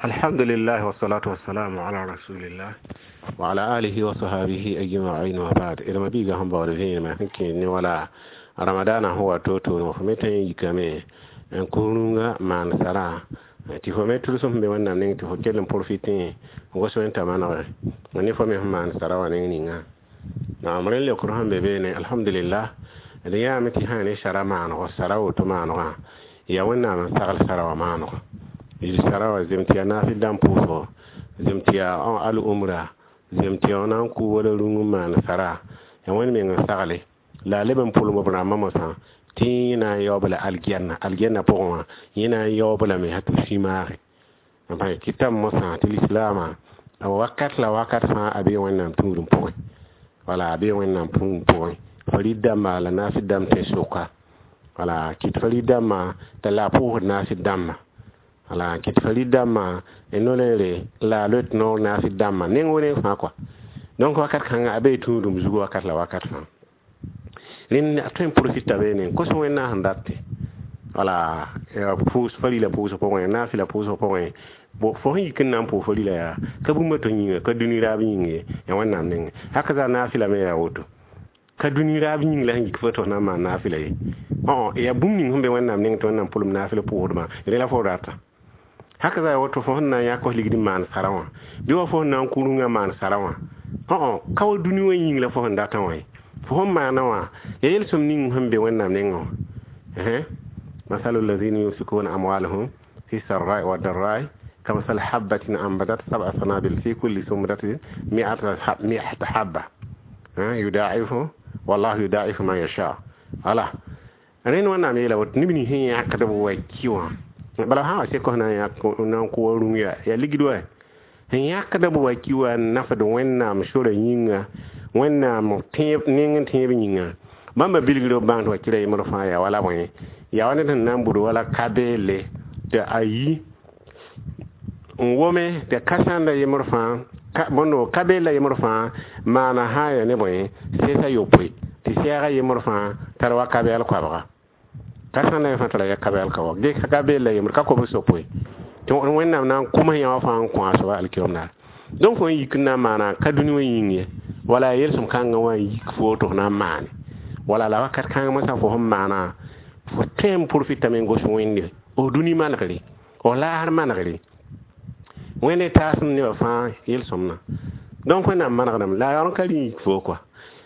Alhamdulillah wassalatu wassalamu ala rasulillah wa ala alihi wa sahbihi ajma'in wa ba'd. Ilma biga han bawd vẽenema sẽn kẽed ne wala ramadana sẽn wa to-toore fo me tõe n yikame n kos rũngã maan sara tɩ fo me tʋlsem sẽn be Wẽnnaam neng tɩ fo kell n profitẽ n gos wẽn t'a manege ne fo me sẽn maan sara wã neng ninga. Naam, rẽnd leokr sẽn be beene, alhamdulillah, d yãame tɩ sã ne sara maanego, sara woto maanegã yaa Wẽnnaam n sagl sara wã maanego. Yil sara wã zem tɩ yaa naafɩl dãmb pʋʋsgo, zem tɩ yaa al-umra, zem tɩ yaa na n kʋ wala rũng n maan sara, yaa Wẽnd meng n sagle la a leb n pʋlem b rãmbã mosã tɩ yẽ na n yaoob la algɛnna, algɛnna pʋgẽ wã yẽ na n yaoob lame tɩ b sũ-maage kɩtame mosã tɩ lislaamã wakat la wakat fãa a bee Wẽnnaam tũudem pʋgẽ, wala a bee Wẽnnaam tũudem pʋgẽ farid dãmba la naafɩl dãmb tẽ soka, wala kɩt farid dãmbã t'a la a pʋʋsd naafɩl dãmbã, wala kɩt farid dãmbã no-leere la a loet noor naafɩl dãmbã neng wo neng fãa kɔa. Donc wakat kãngã a bee tũudum zug wakat la wakat fãa. Rẽnd a tõe n profita beene n kos Wẽnnaam sẽn date, wala pʋʋs farila pʋʋsg pʋgẽ, naafɩla pʋʋsg pʋgẽ. Fo sẽn yik n na n pʋʋs farila yaa ka bũmb to yĩnga, ka dũni raab yĩng ye, yaa Wẽnnaam nengẽ. Haka zaa naafɩla me yaa woto, ka dũni raab yĩng la sẽn yik fo tɩ f na n maan naafɩla ye. Yaa bũmb ning sẽn be Wẽnnaam nengẽ tɩ Wẽnnaam pʋlem naafɩl pʋʋsdmã, rẽ la fo rata. Haka zaa woto fo sẽn na n yãk f ligd n maan sara wã bɩ wa fo sẽn na n kʋ rũngã maan sara wã, ka wa dũni wã yĩng la fo sẽn datã wã ye. Fo sẽn maana wã yaa yel-sõm ning sẽn be Wẽnnaam nengẽ wã. Masalu alladhina yunfikuna amwalahum fi sarrai wa darrai kamasali habbatin ambatat sab'a sanabil fi kulli sumbulatin mi'atu habba yudaifu wallahu yudaifu man yasha. Wala rẽnd Wẽnnaam yeela woto neb nins sẽn yãkd b wa ki wã, bala sã wa sek f na n yãk n na n kʋ wa rũng yaa ligd wa sẽn yãkd b wa ki wã n nafd Wẽnnaam sorã yĩnga, Wẽnnaam tẽeb neng n tẽeb yĩnga, bãmba bilgr b bãng tɩ wa kɩra yembr fãa yaa wala bõe, yaa wa ned sẽn na n bud wala ka-beelle tɩ a yi n wome tɩ ka sãnda yembr fãa, bõndo ka-beella yembr fãa maana sã n yaa ne bõe sɛsa yopoe, tɩ sɛɛga yembr fãa tar wa ka-bɛɛl koabga, ka sãnda yẽ fãa tara ya ka-bɛɛl ka wa ge ka-beella yembr ka kobs yopoe tɩ Wẽnnaam na n kʋms yã wã fãa n kõ a soaba alkiom naar. Donc fo n yik n na n maana ka dũni wã yĩng ye, wala yel-sõm kãngã wã n yik fo tɩ f na n maane, wala la wakat kãng mosã fo sẽn maana fo tõe n profitame n gos Wẽnde f dũni manegre, f laasr manegre, Wẽnde taasem nebã fãa yel-sõmdã. Donc Wẽnnaam manegdame la a yaool n ka rĩ yik fo kɔa.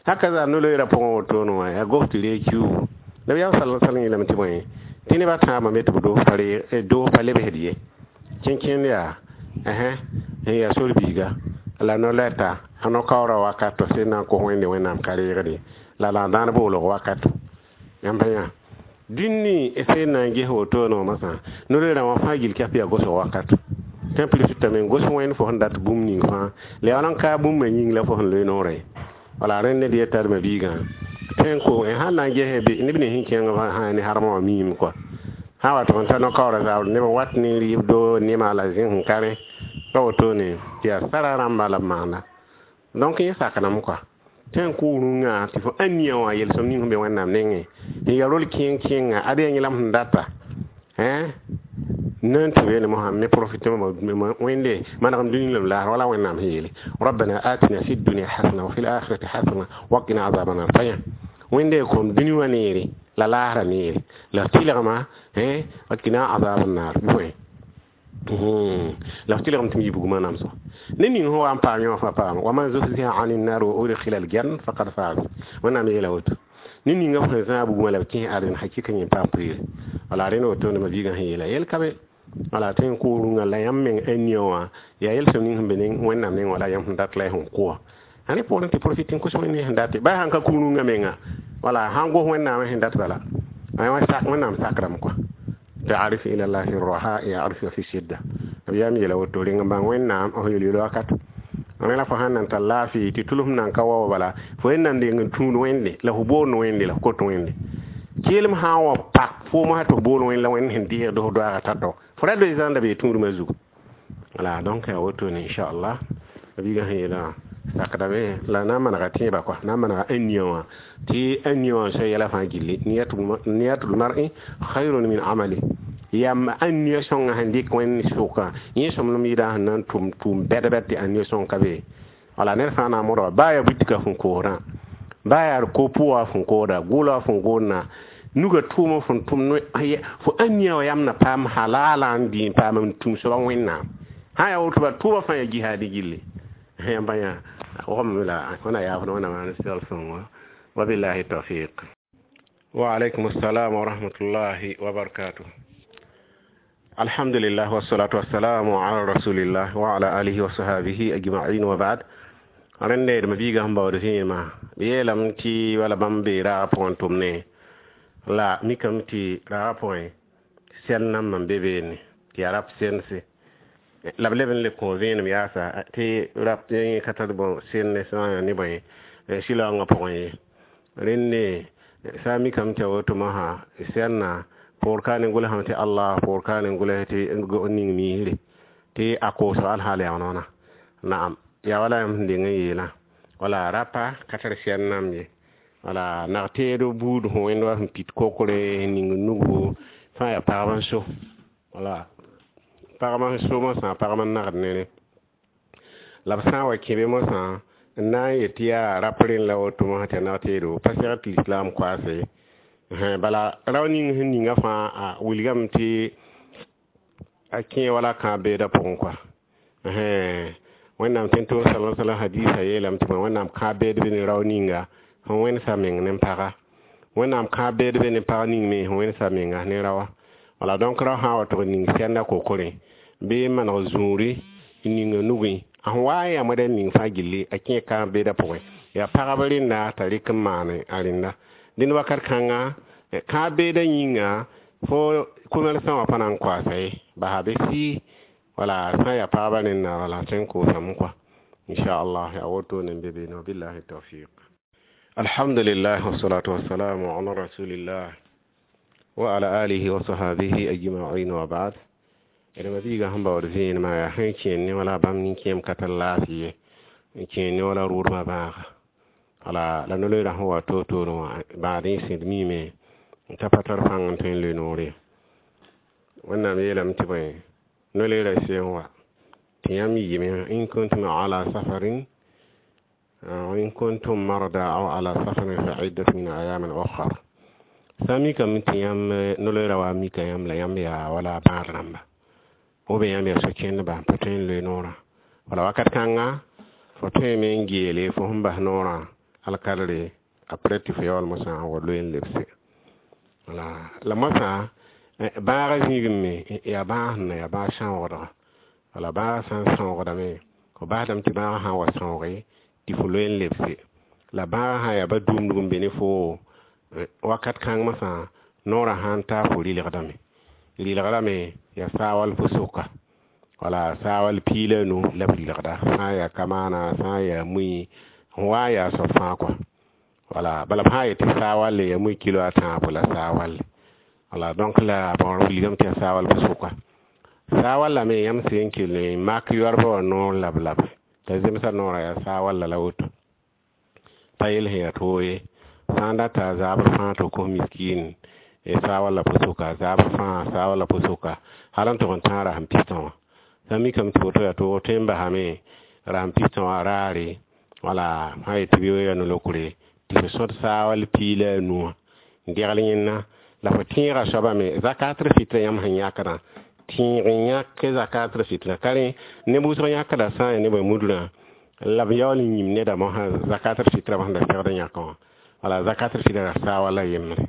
Haka zaa no-loeerã pʋgẽ wotone wã yaa gos tɩ reeg kiuugu. Nabiyaam sala sallam yeelame tɩ bõe tɩ nebã tãabã me tɩ b doos pa lebsd ye, kẽnkẽnd yaa sẽn yaa sor-biiga la no-lɛta a no-kaoorã wakat sẽn na n kos Wẽnde Wẽnnaam ka reegde la la dãan boolg wakato. Yãmb pa yã dũni sẽn na n ges wotone wã mosã no-loeerã wã fãa gill kɛf yaa gosg wakato. Tõe n profitame n gos Wẽnd fo sẽn dat bũmb ning fãa la yaool n kaa bũmbã yĩng la fo sẽn loe noorã ye. Wala rẽnd ned yeta d ma-biigã tõe n ko sãn na n ges neb nins sẽn kẽng sã ne harmã wã miime kɔa, sã n wa tɩ f ta no-kaoorã zabr neb n wat ne rɩɩbdo nema la zẽs n ka rẽ pa wotone tɩ yaa sara rãmba la b maanda. Donc yẽ sakdame kɔa tõe n kʋ rũngã tɩ fo ãniyã wã yel-sõm ning sẽn be Wẽnnaam nengẽ n ya rol kẽeng kẽnga ad yaa yẽlem sẽn data nan tɩ beene mosã me profite Wẽnde manegem dũni la b laasr wala Wẽnnaam sẽn yeele rabbana atina fi dunya hasana wa fil akhirati hasana wa qina azaba nar. Pa yã Wẽnde kõm dũni wã neere la laasrã neere la f tɩlgma wa qina azaba nar bõe la f tɩlgem tɩ m yi bugmã namsgo ne ning sẽn wa n paam yẽ wã fãa paam wa man zuhziha ani nar wa udkhila aljanna faqad faz. Wẽnnaam yeela woto ne ninga f sẽn zãag bugmã la b kẽes ãdem hakɩka yẽ paam pʋɩɩre. Wala rẽnd wotone ma-biigã sẽn yeela yel ka be, wala tõe n kʋ rũngã la yãmb meng ãniyã wã yaa yel-sõm ning sẽn be Wẽnnaam nengẽ wala yãmb sẽn dat la y sẽn kʋ wã ãne poorẽ tɩ profit n kos Wẽnde sẽn date ba sãn ka kʋ rũngã menga, wala sãn gos Wẽnnaamã sẽn dat bala Wẽnnaam sakrame kɔa. Taarif ila llahi raha yaarifu fi shidda. B yaam yeela woto reng n bãng Wẽnnaam f yel-yel wakat rẽ la fo sãn nan tar laafɩ tɩ tʋlsem nan ka wa bala fo yẽ nan deng n tũud Wẽnde la fo boond Wẽnde la fo kot Wẽnde keelem sã n wa pak foom sã tɩ f bool Wẽnd la Wẽnd sẽn deegd f doaagã tao-tao fo ra doe zãnda bee tũudmã zugu. Wala donc yaa wotone inchallah biigã sẽn yeelã sakdame la na n manega tẽebã kɔa, na n manega ãniyã wã tɩ ãniyã wã n soa yɛla fãa gilli niyatul mar'i khayrun min amali. Yam ania sõnga sẽn dɩk wẽnd sʋka yẽ sõmblem yɩɩda sẽn na n tʋm tʋʋm bɛd-bɛd tɩ ania sõng ka be. Wala ned fãa na n modga baa yaa butika fõn koosdã, baa yaa ko-pʋga fõn koosda, gʋʋla fõn goodna, nuga tʋʋm fõn tʋm fo ania wã yam na paam halala n dɩ n paam n tũu soaba Wẽnnaam. Sã yaa woto bala tʋʋma fãa yaa jihaad gilli. Yãmb yã wogame la wẽna yaafd wẽnnaam maan segl sõngo. Wabillahi tawfiq. Wa alaykum assalam wa rahmatullahi wa barakatuh. Alhamdulillah wassalatu wassalamu ala rasulillah wa ala alihi wa sahbihi ajma'in wa ba'd. Rẽnde d mabiigã sẽn baood vẽenema b yeelame tɩ wala bãmb bee raagã pʋgẽ tʋmne la mikame tɩ raagã pʋgẽ sɛl nambã n be beene tɩ yaa rap sense la b leb n le kõ vẽenem yaasa tɩ rap yẽ ka tar bõ senne sã n ne bõe sɩlaoongã pʋgẽ ye. Rẽnde sã n mikame tɩ a woto mosã sɛlna poor ka ne gʋlsame tɩ Allah, poor ka ne gʋls tɩ ning miisre tɩ a koosg alhaal yaa wãna. Naam, yaa wala yãmb sẽn deng n yeelã wala rapa ka tar sɛl nam ye. Wala nag-teed buud sẽn wẽnd wa sẽn pit kokre ning nugu fãa yaa pagb n so. Wala pagb n so mosã, pagb n nagd nere la b sã n wa kẽ be mosã n na n yet tɩ yaa rap rẽnd la woto mosã tɩ yaa nag-teedo pa segd tɩ lislaam koaase. Bala rao ning sẽn ninga fãa a wilgame tɩ a kẽ wala kãab beedã pʋgẽ koa. Wẽnnaam tẽn-toor sala sallam hadisa yeelame tɩ bõe Wẽnnaam kãab beed be ne rao ninga sẽn wẽnsa meng ne paga. Wẽnnaam kãab beed be ne pag ning me sẽn wẽnsa menga ne raoã. Wala donc rao sã n wa tʋg n ning sɛnda kokorẽ bɩ n maneg zũuri n ning a nugẽ a sẽn wa n yamd n ning fãa gilli a kẽ kãab beedã pʋgẽ. Yaa pagb rẽnda t'a rɩk n maan a rẽnda. Dẽnd wakat kãnga kãab beedã yĩnga fo commerçant wã pa na n koaasa ye, basa be sɩ wala sã n yaa pagba rẽnda wala tõe n koosame kɔa. Inchallah yaa wotone n be beene. Wabillahi tawfiq. Alhamdulillah wassalatu wassalamu ala rasulillah wa ala alihi wa sahbihi ajma'in wa ba'd. D mabiigã sẽn baood vẽenemã yaa sẽn kẽen ne wala bãmb nin-kẽem ka tar laafɩ ye, n kẽen ne wala rʋʋdbã bãaga. Wala la no-loeerã sẽn wa toor-toorẽ wã bãad n sẽd miime n ta pa tar pãng n tõe n loe noor ye. Wẽnnaam yeelame tɩ bõe no-loeerã seen wa tɩ yãmb yɩɩme in kuntum ala safarin in kuntum marda aw ala safarin fa iddatu min ayamin ukhar. Sã n mikame tɩ yãmb no-loeerã wa mika yãmb la yãmb yaa wala bãad rãmba ou bien yãmb yaa so-kẽndba n pa tõe n loe noorã. Wala wakat kãnga fo tõeme n geele fo sẽn bas noorã alkadre après tɩ fo yaool mosã n wa loe n lebse. Wala la mosã bãagã zĩigẽ me yaa bãag sẽn na yaa bãag sãoogdga. Wala bãagã sã n sãoogdame fo basdame tɩ bãagã sã n wa sãooge tɩ fo loe n lebse. La bãagã sã n yaa ba dũmdg n be ne foo wakat kãng mosã noorã sã n ta fo rɩlgdame. Rɩlgdame yaa saawal fo soka. Wala saawal piig la nu la b rɩlgda sã n yaa kamaana, sã n yaa mui sẽn wa n yaa soab fãa kɔa. Wala bala b sã n yet tɩ saawal yaa mui kilo a tãabo la saawal. Wala donc la bõor wilgame tɩ yaa saawal fo soka. Saawal la me yãmb sẽn kell n mak yoarbã wã noor lab-lab t'a zemsa noorã yaa saawal la woto. Pa yel sẽn yaa toog ye. Sã n data zabr fãa tɩ kos miskiin saawal la pʋ-sʋka, zabr fãa saawal la pʋ-sʋka hal n tʋg n tãag rasem pistã wã. Sã n mikame tɩ woto yaa toog tõe n basame rasem pistã wã raare wala sã n yet tɩ bɩ yaa no-lokre tɩ fo sõd saawal piig la a nu wã n degl yẽnna la fo tẽegã soabã me zakatr fitra yãmb sẽn yãkdã tẽeg n yãk zakatr fitra ka rẽ neb wʋsg yãkda sã n yaa nebã mudrã la b yaool n yĩm neda mosã zakatr fitra sẽn da segd n yãkã wã. Wala zakatr fitra saawal la yembre.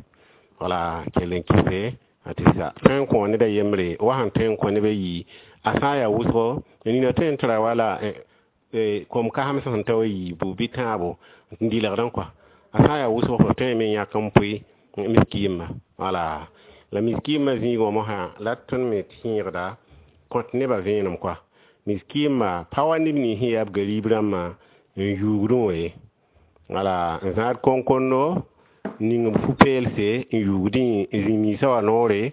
Wala kell n kɩse tɩ sa tõe n kõ ned a yembre wa sẽn tõe n kõ neb a yii a sã n yaa wʋsgo nina tõe n tara wala kom kasem sẽn ta wa yiibu bɩ tãabo n dɩlgdẽ kɔa. A sã n yaa wʋsgo fo tõeme n yãk n pʋɩ miskiimã. Wala la miskiimã zĩigã wã mosã la d tõnd me tẽegda kõt nebã vẽenem kɔa. Miskiimã pa wa neb nins sẽn yaa b gariib rãmbã n yuugdẽ wã ye. Wala n zãad koŋkondo ning b fu-peelse n yuugdẽ n zĩ-miisã wã noore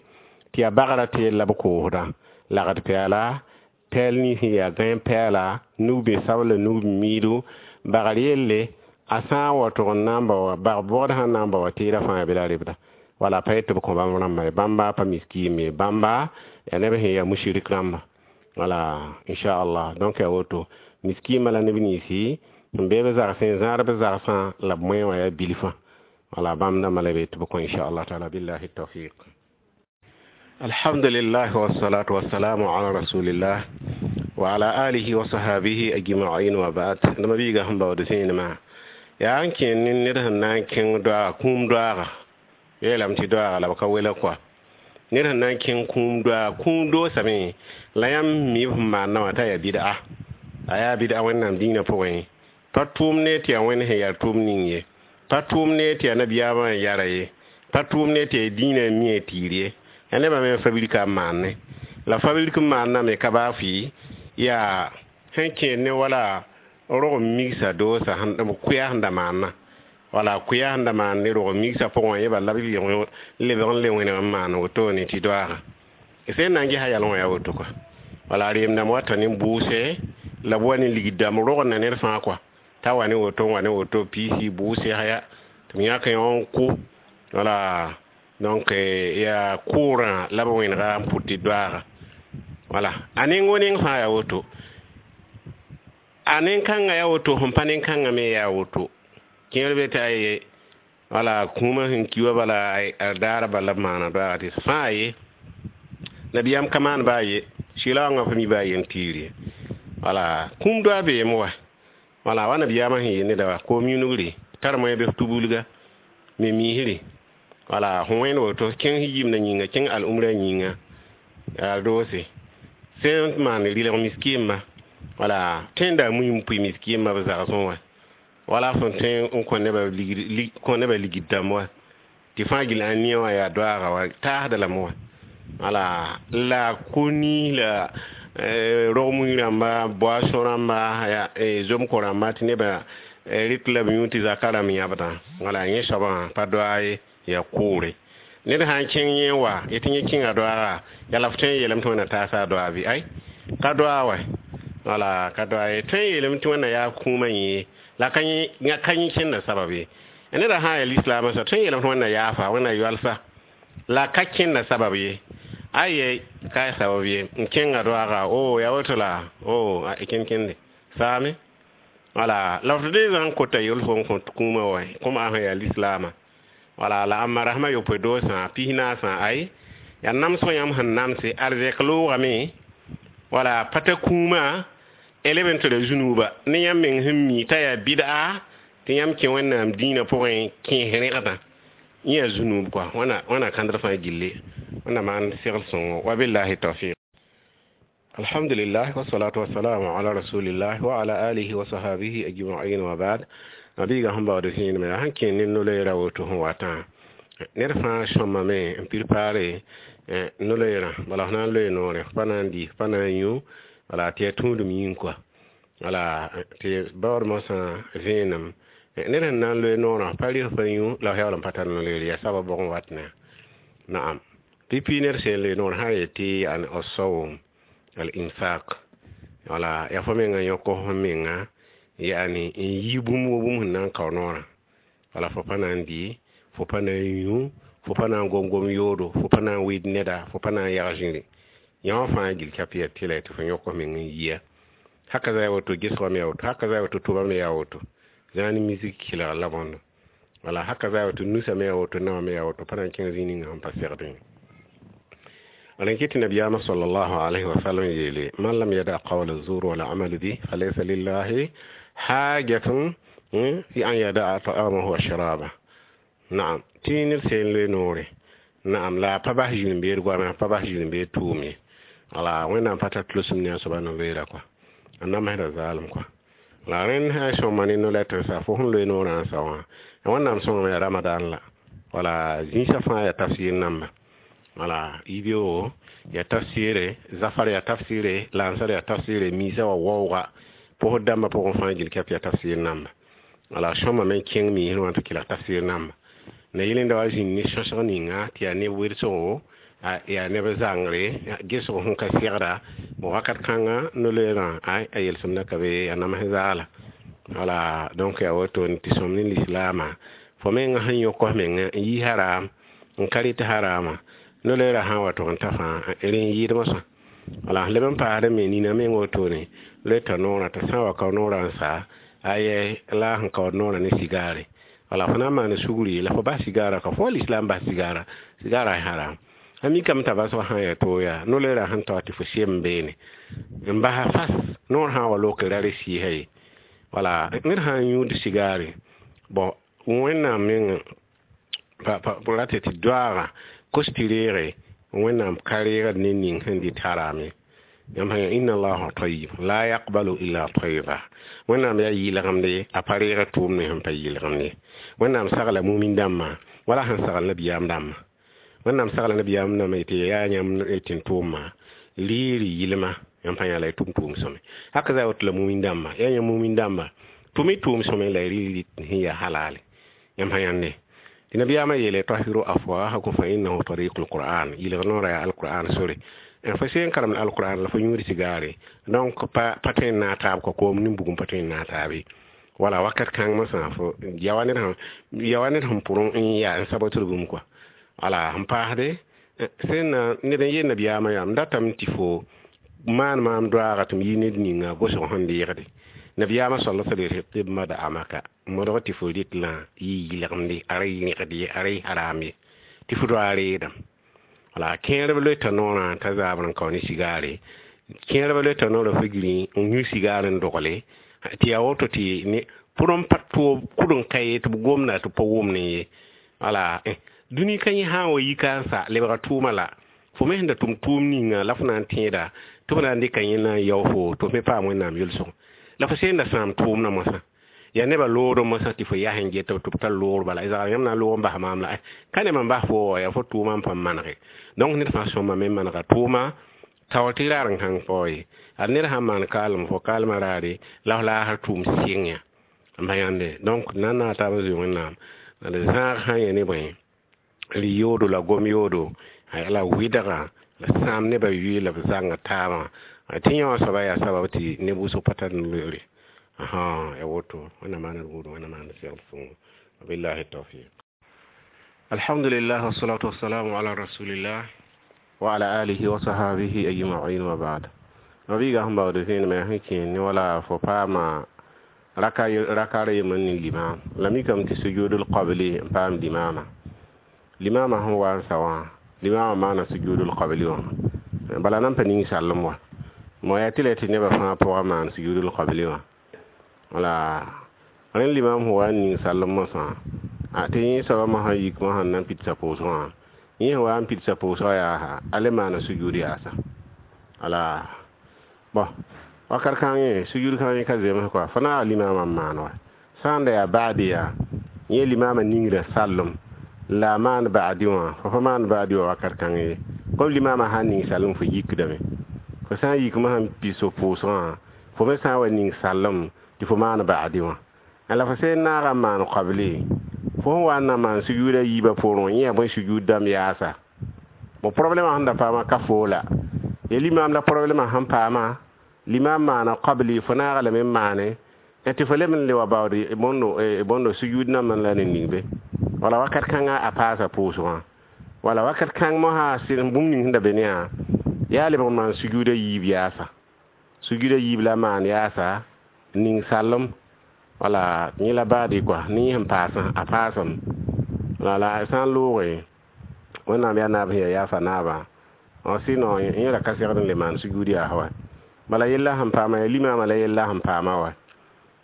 tɩ yaa bagrã teel la b koosdã lagd pɛɛla tɛɛl nins sẽn yaa gãe pɛɛla nug-bẽ-sabla nug-miidu bagr yelle a sã n wa tʋg n na n ba wa bag bɔgd sã n na n ba wa teedã fãa yaa bɩ la rebda. Wala pa yet tɩ b kõ bãmb rãmbã ye. Bãmba pa miskiim ye, bãmba yaa neb sẽn yaa musrik rãmba. Wala inchallah. Donc yaa woto, miskiimã la neb ninsi sẽn be b zagsẽ, zãad b zagsã la b moẽ wã yaa bilfã. Wala bãmb dãmbã la be tɩ b kõ, inchallah taala. Billahi tawfiq. Alhamdulillah, wassalatu wassalamu ala rasulillah wa ala alihi wa sahabihi ajma'in, wa ba'd. Dama biiga sẽn baood zẽenema yaa n kẽ ne ned sẽn na n kẽng doaaga, kũum doaaga. Yeelame tɩ doaaga la b ka wela kɔa. Ned sẽn na n kẽng kũum doaaga, kũum doosame la yãmb mi b sẽn maanda wã t'a yaa bɩd'a, a yaa bɩd'a Wẽnnaam dĩinã pʋgẽ. Pa tʋʋm ne tɩ yaa Wẽnd sẽn yaa tʋʋm ning ye, pa tʋʋm ne tɩ yaa nabiyaamã n yara ye, pa tʋʋm ne tɩ yaa dĩinã n mi a tiir ye. Yaa nebã me n fabrika n maane la fabrik n maanname ka baa fɩ yaa sẽn kẽer ne wala rog migsa doosa kʋya sẽn da maanna. Wala kʋya sẽn da maan ne rog migsa pʋgẽ wã yẽ la b lebg n le wẽneg n maan wotone tɩ doaaga sẽn na n gesa yalẽ wã yaa woto kɔa. Wala reem-dãmb wata ne bʋʋse la b wa ne ligd dãmb rogenda ned fãa kɔa, t'a wa ne woto n wa ne woto piisi bʋʋse ya tɩ b yãk yõ n kʋ. Wala donc yaa kʋʋrã la b wẽnega n pʋt tɩ doaaga. Wala a neng wo neng fãa yaa woto, a nen-kãngã yaa woto, sẽn pa nen-kãngã me yaa woto. Kẽer be tɩ aye wala kũumã sẽn ki wa bala a daara bala b maana doaaga tɩ fãa ye. Nabiyaam ka maan baa ye, sɩlaoongã pa mi baa ye n tiir ye. Wala kũum doa beem wa, wala wa nabiyaamã sẽn yeel neda wa koom yũnugre tar moẽ bɩ f tubulga me miisre. Wala fõ wẽnd woto kẽng yimdã yĩnga, kẽng al-umrã yĩnga yaa doose sẽn maan rɩlg miskiimã. Wala tẽnda mui n pʋɩ miskiimã b zagsẽ wã, wala fõn tõe n kõ nebã ligd dãmb wa tɩ fãa gill ã nia wã yaa doaaga wa taasda lame wa. Wala la ko-niis la rog mui rãmba, boisson rãmba, zom-ko rãmba tɩ nebã rɩk la b yũ tɩ zaka rãmb yãbdã. Wala yẽ soabã pa doaa ye, yaa kʋʋre. Ned sã n kẽng yẽ wa yetɩ yẽ kẽnga doaaga yaa la f tõe n yeelame tɩ Wẽnna taasa a doaa bɩ? Ay, ka doaa wa. Wala ka doaa ye, tõe n yeelame tɩ Wẽnna yaa kũumã yẽ la ka yẽ kẽnda sabab ye. Neda sã n yaa lislaamã soab, tõe n yeelame tɩ Wẽnna yaafa, Wẽnna yoalsa la ka kẽnda sabab ye. Aye, ka sabab ye n kẽnga doaaga o yaa woto la o kẽn-kẽnde saame. Wala la f dee zã n kota yel fo n kõ kũumã wa kũm a sẽn yaa lislaamã. Wala la ãmba rasmã yopoe doosã pisnaasã ay yaa namsg yãmb sẽn namse arzɛk loogame. Wala pa ta kũumã leb n tara zũnuuba ne yãmb meng sẽn mi t'a yaa bɩd'a tɩ yãmb kẽ Wẽnnaam dĩinã pʋgẽ kẽes rẽgdã yẽ yaa zũnuub kɔa. Wãna kãndr fãa gilli Wẽnna maan segl sõngo. Wa billahi tawfiq. Alhamdulillah, wassalatu wassalamu ala rasulillah wa ala alihi wa sahabihi ajma'in, wa ba'd. Nabiga sẽn baood zẽenemã yaa sẽn kẽ ne no-loeerã woto sẽn watã ned fãa sõmame n prepaare no-loeerã. Bala f na n loe noore, f pa na n dɩ, f pa na n yũ, wala tɩ yaa tũudem yĩng kɔa. Wala tɩ baood mosã vẽenem ned sẽn na n loe noorã, f pa rɩ, f pa yũ, la f yaool n pa tar no-loeer yaa sabab bʋgẽ wat ne naam. Pipi ned sẽn loe noor sã n yetɩ an asawm al infaq, wala yaa fo menga yõk fo menga yaani n yi bũmb wo bũmb sẽn na n kao noorã. Wala fo pa na n dɩ, fo pa na n yũ, fo pa na n gom-gom yoodo, fo pa na n wɩɩd neda, fo pa na n yag zĩri yã wã fãa gil kap yaa tɩla tɩ fo yõk f meng n yia. Haka za yaa woto, gesgã me yaa woto, haka za yaa woto, tʋba me yaa woto, zãa ne misik kelg la bõndo. Wala haka za yaa woto, nusa me yaa woto, naoã me yaa woto, pa na n kẽng zĩig ninga sẽn pa segdẽ. Wala n kɩt nabiyaamã sallallahu alayhi wa sallam yeele: man lam yada qawla zur wala amal bi falaysa lillahi hajatun fi an yadaa ta'amahu wa sharaba. Naam, tɩ ned sẽn loe noore naam la a pa bas zĩn-beed goame, a pa bas zĩn-beed tʋʋm ye. Wala Wẽnnaam pa tar tʋlsem ne a soaba no-loeera kɔa, a namsda zaalem kɔa. La rẽnd sã n sõma ne no-lɛtr sa fo sẽn loe noorã n sa wã, Wẽnnaam sõngame yaa Ramadan la wala zĩisã fãa yaa tafsir namba. Wala yibeoogo yaa tafsɩɩre, zafar yaa tafsɩɩre, lansar yaa tafsɩɩre, miisã wa waooga pʋsd dãmbã pʋgẽ fãa gil kɛp yaa tafsɩɩr namba. Wala sõmame n kẽng miisr wã tɩ kelg tafsɩɩr namba. Na yel-rẽnda wa zĩnd ne sõsg ninga tɩ yaa neb wedsgo, yaa neb zãngre gesg sẽn ka segda wakat kãnga no-loeerã a yelsem ka be a nams zaala. Wala donc yaa woto tɩ sõm ne lislaamã fo menga sẽn yõk f menga n yi haram N ka rɩt harama no-loeera sã n wa tʋg n ta fãa rẽ n yɩɩd mosã. Wala leb n paasd me nina meng wotone loeta noorã t'a sã n wa kao noorã n sa ayɛ la sẽn kaood noorã ne sigaare. Wala fo na n maan sugri la fo bas sigaarã ka fo wa lislaam bas sigaarã, sigaarã haram. A mikame t'a basg sã n yaa toog yaa no-loeerã sẽn tao tɩ fo sem beene n basa fas noor sã n wa loke ra re sɩɩsa ye. Wala ned sã n yũud sigaare, bon, Wẽnnaam meng rata tɩ doaaga kos tɩ reege Wẽnnaam ka reegd ne ning sẽn dɩt haram ye. Yãmb sã inna allaha tayyib la yaqbalu illa tayyiba. Wẽnnaam yaa yɩlgemd ye, a pa reegd tʋʋmd me sẽn pa yɩlgemd ye. Wẽnnaam sagla mumin dãmbã wala sẽn sagl nabiyaam dãmbã. Wẽnnaam sagla nabiyaam dãmbã yetɩ yaa yãmb tɩ n tʋʋmã riiri yɩlma, yãmb pa yã la y tʋm tʋʋm sõme. Haka za woto la mumin dãmbã, yaa yãmb mumin dãmbã tʋm y tʋʋm sõme la y rɩ sẽn yaa halale. Yãmb sã yãnde tɩ nabiyaamã yeele tahiru afwahakum fa innahu tariqul qur'an, yɩlg noorã yaa alqur'an sore. Fo sẽn karemd alqur'an la fo yũud sigaare, donc pa tõe n naag taab kɔ koom nin bugum pa tõe n naag taab ye. Wala wakat kãng mosã fo ya wa ned sẽn pʋrẽ n yaa n sabotr bũmb kɔa. Wala sẽn paasde sẽn na ned n yeel nabiyaamã yaa m datame tɩ fo maan maam doaaga tɩ m yi ned ninga gosg sẽn deegde. Nabiyaamã sal sal yetɩ tɩ b madamaka modg tɩ fo rɩt la yɩ yɩlgemde, a ra yẽgd ye, a ra yɩ haram ye, tɩ fo doa reedame. Wala kẽerb loeta noorã t'a zabr n kao ne sigaare, kẽerb loeta noorã fo giri n yũ sigaar n dogle tɩ yaa woto tɩ ne pʋr n pa toob kʋd n ka ye tɩ b gomda tɩ pa wʋmne ye. Wala dũni ka yẽ sã n wa yika n sa lebga tʋʋma la fo me sẽn da tʋm tʋʋm ninga la fo na n tẽeda tɩ f na n dɩka yẽ na n yao fo tɩ f me paam Wẽnnaam yʋlsg. La fo sẽn da sãam tʋʋmdã mosã yaa nebã loodẽ mosã tɩ fo yaa sẽn get tɩ b tar loogr bala zagr yãmb na n loog n bas maam la ka ne mam bas fo wa yaa fo tʋʋmã n pãn manege. Donc ned fãa sõma me manega tʋʋma taoor tɩ raar n kãng pao ye. Ad ned sãn maan kaalem fo kaalmã raare la f laasr tʋʋm sɩng yã n pa yãnde. Donc na n naag taab n zoe Wẽnnaam d zãag sã n yã ne bõe rɩ yoodo la gom yoodo la wɩdga la sãam nebã yʋɩ la b zãnga taabã tɩ yã wã soaba yaa sabab tɩ neb wʋsg pa tar loeere. Ya woto Wẽnnaam maan d buudã, Wẽnnaam maan d segl sõngo. Wabillahi tawfiq. Alhamdulillah wassalatu wassalamu ala rasulillah wa ala alihi wa sahabihi ajma'in wa ba'd. Mabiiga sẽn baood vẽenemã sẽn kẽ ne wala fo paama raka yembr ne limam la mikame tɩ sujudul qabli n paam limama. Limama sẽn wa n sa wã limama maana sujudul qabli wã bala nan pa ning sallem wa mo yaa tɩ la tɩ nebã fãa pʋgã maan sujudul qabli wã. Wala rẽnd limam sẽn wa n ning sallem mosã tɩ yẽ soabã mosã yik mosã n na n pidsa pʋʋsgã wã, yẽ sẽn wa n pidsa pʋʋsgã yaasa a le maana sujud yaasa. Wala bon wakat kãngẽ sujud kãngẽ ka zems kɔa fo naaga limamã n maan wa sã n da yaa baadi yaa yẽ limamã ningra sallem la a maan baadi wã fo pa maan baadi wã wakat kãngẽ ye. Comme limamã sã n ning sallem fo yikdame, fo sã n yik mosã n pis fo pʋʋsgã fo me sã n wa ning sallem tɩ fo maan baadi wã. La fo sẽn naaga n maan qabli fo sẽn wa n na maan sujuudã yiibã poorẽ wã yẽ yaa bõe sujuud dãmb yaasa. Bon, problɛmã sẽn da paama ka foola ya limam la problɛmã sẽn paama limam maana qabli fo naaga lame n maane tɩ fo leb n le wa baood bõndo sujuud nambã la ne ning be. Wala wakat kãngã a paasa pʋʋsgã wala wakat kãng mosã sɩd bũmb ning sẽn da be ne yã yaa lebg n maan sujuudã yiib yaasa, sujuudã yiib la maan yaasa ning sallem. Wala yẽ la baadi kɔa ne yẽ sẽn paasã a paasem. Wala sã n looge Wẽnnaam yaa naab sẽn yaa yaafa naabã sinon yẽ ra ka segd n le maan sujuud yaas wa. Bala yella sẽn paama yaa limamã la yella sẽn paama wa.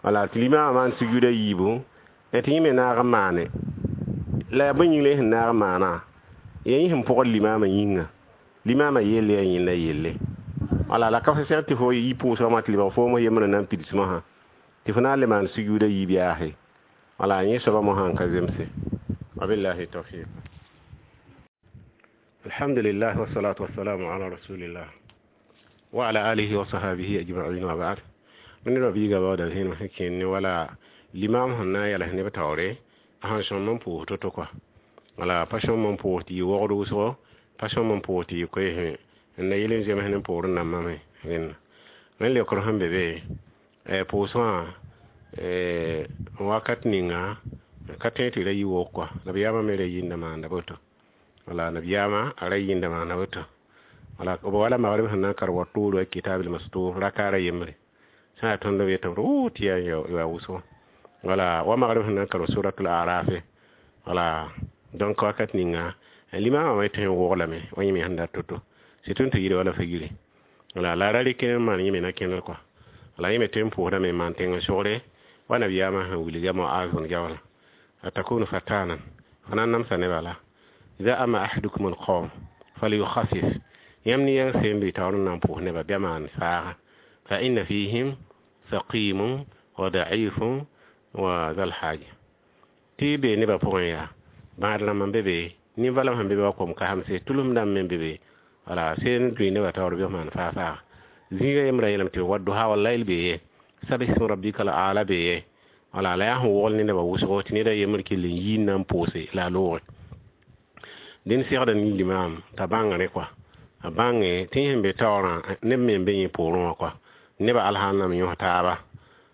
Wala tɩ limamã maan sujuudã yiibu tɩ yẽ me naag n maane la yaa bõe yĩng la yẽ sẽn naag n maana yaa yẽ sẽn pʋgd limamã yĩnga, limamã yelle yaa yẽnda yelle. Wala la ka fo segd tɩ fo yi pʋʋsgã wã tɩ lebg foom yembr n na n pids mosã tɩ fo na n le maan sujuudã yiib yaase. Wala yẽ soabã mosã n ka zemse. Wabillahi tawfiq. Alhamdulillah wassalatu wassalamu ala rasulillah wa ala alihi wa sahabihi ajma'in wa ba'd. Ned biiga baooda vẽenem sẽn kẽnd ne wala limam sẽn na n yals neb taoore a sẽn sõm n pʋʋs to-to kɔa. Wala pa sõm n pʋʋs tɩ yɩ wogd wʋsgo, pa sõm n pʋʋs tɩ yɩ koeesẽ n na yel n zems ne poorẽ nambã me rẽnna. Rẽnd leokr sẽn be be pʋʋsgã wakat ninga ka tõe tɩ ra yi wog kɔa nabiyaamã me ra yĩnda maanda boto. Wala nabiyama a ra yĩnda maana woto. Wala b wala magrib sẽn na n kar wa toor wa kitabil mastur rakaara yembre sã yaa tõnd b yetame tɩ tɩ yaa wʋsgo. Wala wa magrib sẽn na n kar suratul arafe. Wala donc wakat ninga limama me tõe n woglame wa yẽ me sẽn dat to-to sɩd tõnd tɩ yɩɩda wala figre. Wala la ra rɩk n maan yẽ me na kẽner kɔa. Wala yẽ me tõe n pʋʋsdame n maan tẽng sogre wa nabiyaamã sẽn wilga Muaz bn Jabal atakunu fatanan fo na n namsa nebã la ida ama ahadukum alqawm falyukhaffif yãmb ne yãng seen bɩ taoor n na n pʋʋs nebã bɩa maan faaga fa inna fihim saqimun wa da'ifun wa zal haja tɩ be nebã pʋgẽ yaa bãad rãmb n be be nin-valem sẽn be be wa kom kasemse tʋlem dãmb me be be wala seen tʋɩ nebã taoor bɩ f maan faa faaga zĩiga yembrã yeelame tɩ wadduha wallayl bee ye sabism rabbika al ala bee ye wala la yaa sẽn wogl ne nebã wʋsgo tɩ ned a yembr kell n yi n na n pʋʋse la a looge dẽnd segda ne limaam t'a bãng rẽ kɔa a bãnge tɩ yẽ sẽn be taoorã neb me n be yẽ poorẽ wã kɔa nebã alsãn yõs taaba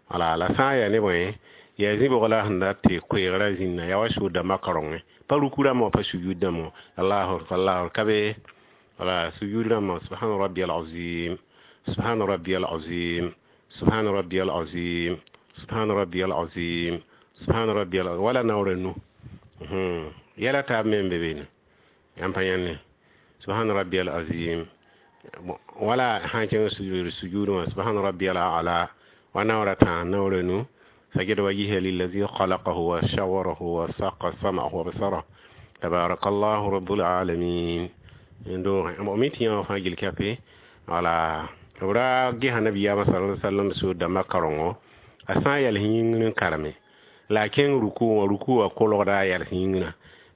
wala la sã n yaa ne bõe yaa zĩ-bʋg la sẽn dat tɩ koeegrã zĩnna yaa wa sʋʋd dãmbã kaorengẽ pa ruku rãmb wã pa sujud dãmb wã allahu akbar allahu ka be wala sujud rãmbã subhana rabbiyal azim subhana rabbiyal azim subhana rabbiyal azim subhana rabbiyal azim subhana rabbiyal wala naoora nu yɛla taab me n be be yãmb pa yãnne subhana rabbiyal azim wala sã n kẽng sujud wã subhana rabbiyal a'la wa naoora tã naoora nu سجد وجهه للذي خلقه وشوره وساق سمعه وبصره تبارك الله رب العالمين ndo mi tɩ yã fãa gil kape wala b ra gesa nabiyaamã sala sallam sʋʋd dãmbã kaorengo a sã n yals yĩngr n kareme la a kẽng ruku wã ruku wã kolgda a yals yĩngrã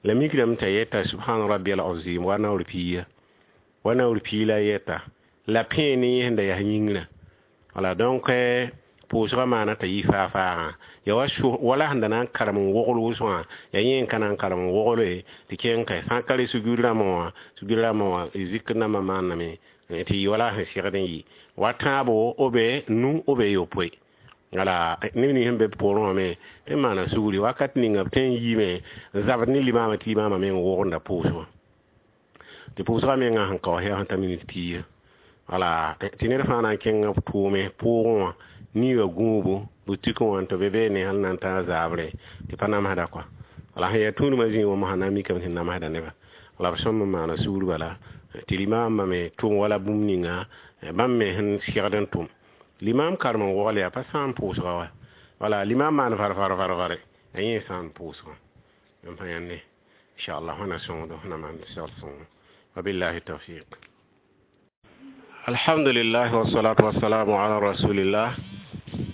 la mikdame t'a yeta subhana rabbiyal azim wa naoor piiga wa naoor pii la yeta la pẽe ne yẽ sẽn da yas yĩngrã wala donc pʋʋsgã maana t'a yɩ faa faagã ya wa wala sẽn da na n karem n wogl wʋsgã yaa yẽ n ka na n karem n wogle tɩ kẽng ka sã n ka re sujud rãmbã wã sujud rãmbã wã zikr nambã maaname tɩ yɩ wala sẽn segd n yɩ wa tãabo b nu b yopoe wala neb nins sẽn be b poorẽ wã me tɩ n maana sugri wakat ninga b tõe n yiime n zabd ne limaamã tɩ limaamã meng wogenda pʋʋsgã tɩ pʋʋsgã mengã sẽn kaoos yaa sẽn ta minit piiga wala tɩ ned fãa na n kẽng b tʋʋme pʋʋgẽ wã niiga gũubu butik wã tɩ be beene hal na n tã zaabre tɩ pa namsda kɔa wala sẽn yaa tũudmã zĩig wã mosã na n mikame tɩ namsda nebã wala b sõm n maana sugr bala tɩ limaamã me tʋm wala bũmb ninga bãmb me sẽn segd n tʋm limaam karem n wogl yaa pa sãam pʋʋsga wa wala limaam maan far-far-far-fare a yẽ sãam pʋʋsgã yãmb pa yãnde inchallah wẽna sõngdo na maan segl sõngo wabillahi tawfiq. Alhamdulillah wassalatu wassalamu ala rasulillah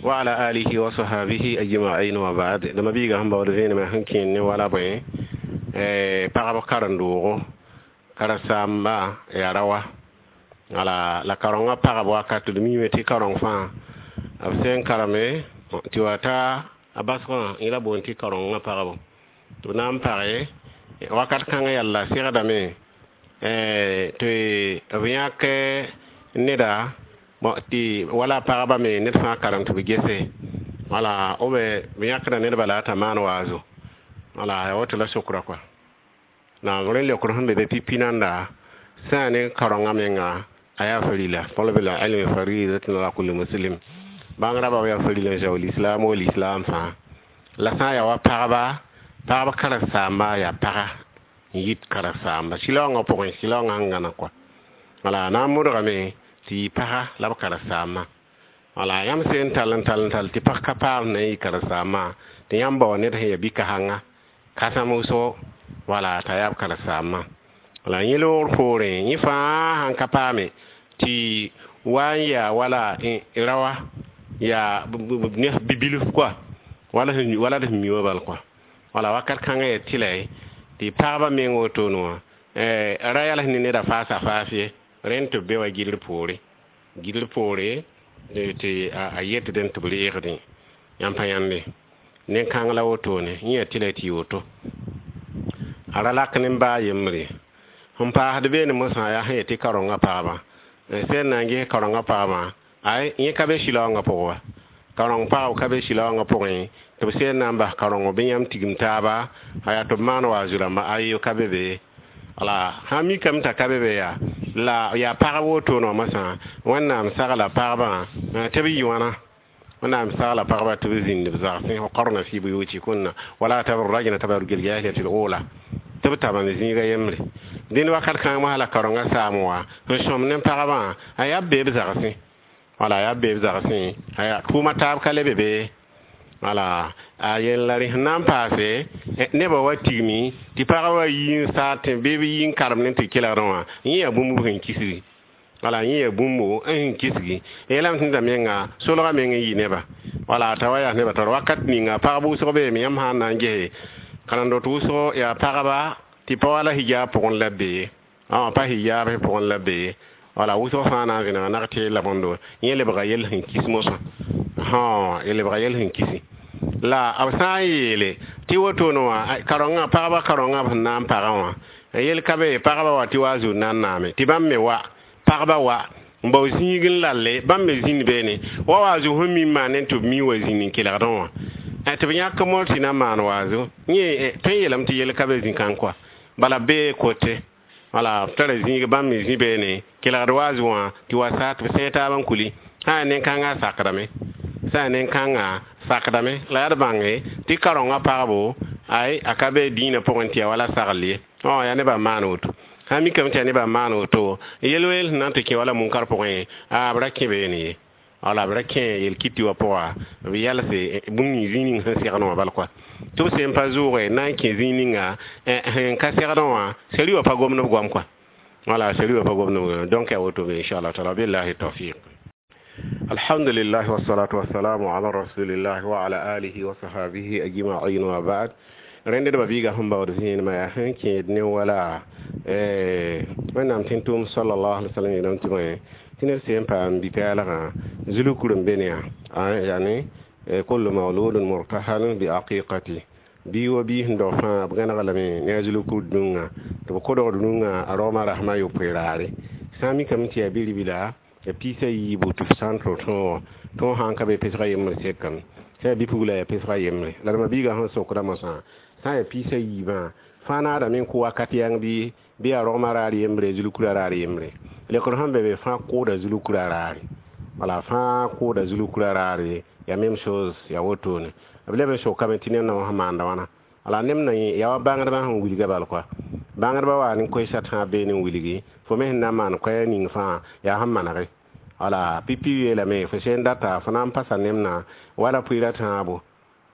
wa ala alihi wa sahabihi ajma'in wa ba'd. Dama biiga sẽn baood vẽenemã sẽn kẽen ne wala bõe pagb karen-doogo karen-saamba yaa ra wa wala la karengã pagb wakat d miime tɩ kareng fãa b sẽn kareme tɩ wa ta a basgã yẽ la boond tɩ karengã pagbo tɩ b na n page wakat kãngã yalla segdame tɩ b yãk neda tɩ wala pagba me ned fãa karem tɩ b gese wala b b yãkda ned bala t'a maan waazo wala ya woto la sokra kɔa naam rẽ leokr sẽn be be pipi nanda sã yaa ne karengã menga a yaa farila talab ilmi faridatun ala kulli muslim bãng raba yaa farila n zaool islam wala islam fãa la sã n yaa wa pagba pagb karen-saamba yaa paga n yit karen-saamba sɩlaoongã pʋgẽ sɩlaoongã sẽn gãna kɔa wala na n modgame tɩ yɩ paga la b karen-saambã wala yãmb sẽn tall n tall n tall tɩ pag ka paam na n yɩ karen-saambã tɩ yãmb bao ned sẽn yaa bi-kasengã kãsem wʋsgo wala t'a yaa b karen-saambã wala yẽ loogr poorẽ yẽ fãa sãn ka paame tɩ wa n yaa wala rawa yaa bibilf kɔa wala wala d sẽn mi wã bal kɔa wala wakat kãngã yaa tɩla tɩ pagba meng wotone wã ra yals ne neda faasa faas ye rẽnd tɩ b be wa gilr poore gilr poore tɩ a yetdẽ tɩ b reegdẽ yãmb pa yãnde nen-kãng la wotone yẽ yaa tɩla tɩ yɩ woto a ra lak ne baa yembre sẽn paasd beene mosã yaa sẽn yet tɩ karengã pagba sẽn na n ges karengã pagba ay yẽ ka be sɩlaoongã pʋgẽ wa kareng pagb ka be sɩlaoongã pʋgẽ tɩ b sẽn na n bas karengo bɩ yãmb tigim taaba a yaa tɩ b maan waazu rãmba ayo ka be be Wala sã n mikame t'a ka be be yaa la yaa pagb wotone wã mosã Wẽnnaam sagla pagbã tɩ b yɩ wãna. Wẽnnaam sagla pagbã tɩ b zĩnd b zagsẽ waqarna fi buyutikunna wala tabarrajna tabarruj aljahiliyati alula tɩ b tab n zĩiga yembre. Dẽnd wakat kãng mosã la kaorengã saam wa n sõm ne pagbã a yaa b bee b zagsẽ. Wala yaa b bee b zagsẽ aya tʋʋma taab ka le be be. Wala a yel la rẽ sẽn na n paase nebã wa tigmi tɩ pagã wa yi n saat tẽ bɩ b yi n karem ne tɩ kelgdẽ wã yẽ yaa bũmb sẽn kisgi. Wala yẽ yaa bũmbo n sẽn kisgi yeelame tẽnda menga solgã meng n yɩ nebã. Wala t'a wa yaa nebã taoor wakat ninga pagb wʋsg beeme yãmb sã n na n gese karen-dot wʋsgo yaa pagba tɩ pa wala hijab pʋgẽ la b be ye. Pa hijab pʋgẽ la b be ye. Wala wʋsg fãa na n vẽnega nag tɩ la bõndo yẽ lebga yell sẽn kis mosã. Lebga yell sẽn kisi. La b sã n yeele tɩ wotone wã kaorengã pagbã kaorengã b sẽn na n pagã wã yel ka be pagbã wa tɩ wa zut na n naame tɩ bãmb me wa pagba wa n bao zĩig n lalle bãmb me zĩnd beene wa wa zu sẽn mi n maan ne tɩ b mi wa zĩnd n kelgdẽ wã tɩ b yãk mor tɩ na n maan waazo yẽ tõe n yeelame tɩ yel ka be zĩ-kãng kɔa bala bee kote. Wala b tara zĩig bãmb me zĩ beene kelgd waazo wã tɩ wa sa tɩ b sẽeg taab n kuli sã n nen-kãngã sakdame sã n nen-kãngã sakdame la yaa d bãnge tɩ kaorengã pagbo ay a ka be dĩinã pʋgẽ tɩ ya wala sagl ye. Yaa nebã n maan woto. Sã n mikame tɩ yaa nebã n maan woto yel-weel sẽn na n tɩ kẽ wala munkar pʋgẽ b ra kẽ beene ye. Wala b ra kẽ yel-kɩtɩ wã pʋga b yɛlse bũmb ning zĩig ning sẽn segd wã bal kɔa tɩ b sẽn pa zʋʋge na n kẽ zĩig ninga sẽn ka segdẽ wã sari wã pa gomd b goam kɔa. Wala sari wã pa gomd b goam donc yaa woto be inchallah taala billahi tawfiq. Alhamdulillah wassalatu wassalamu ala rasulillah wa ala alihi wa sahbihi ajma'in wa ba'd. Rẽnd d ba-biigã sẽn baood vẽenemã yaa sẽn kẽed ne wala Wẽnnaam tẽn-tʋʋm sallallahu alaihi wasallam yeelame tɩ bõe tɩ ned sẽn paam bi-pɛɛlgã zulkur n be ne yã yani kullu mawludun murtahanun bi aqiqati bii wa bii sẽn dog fãa b gãnega lame ne a zulkur dũngã tɩ b kodgd rũngã a raooma rasmã yopoe raare sã n mikame tɩ yaa bi-ribla ya piisa yiibu tɩ f sã n tõ tõogã tõog sã n ka be pesga yembre sekame sã yaa bi-pugla yaa pesga yembre la d ma-biigã sẽn sokda mosã sã n yaa piisa yiibã fãa naadame n kʋ wakat yãng bɩ yaa rogmã raar yembre zulukura raar yembre lekr sẽn be be fãa kʋʋda zulukura raare. Wala fãa kʋʋda zulukura raare ya même chose ya wotone b leb n sokame tɩ neb na wã sẽn maanda wãna. Wala neb na yẽ yaa wa bãngdbã sẽn wilga bal kɔa bãngdbã wa ne koɛɛsã tãab beene n wilgi fo me sẽn na n maan koɛɛg ning fãa yaa sẽn manege. Wala pipi yeelame fo sẽn data fo na n pasa nemna wala pʋɩɩra tãabo.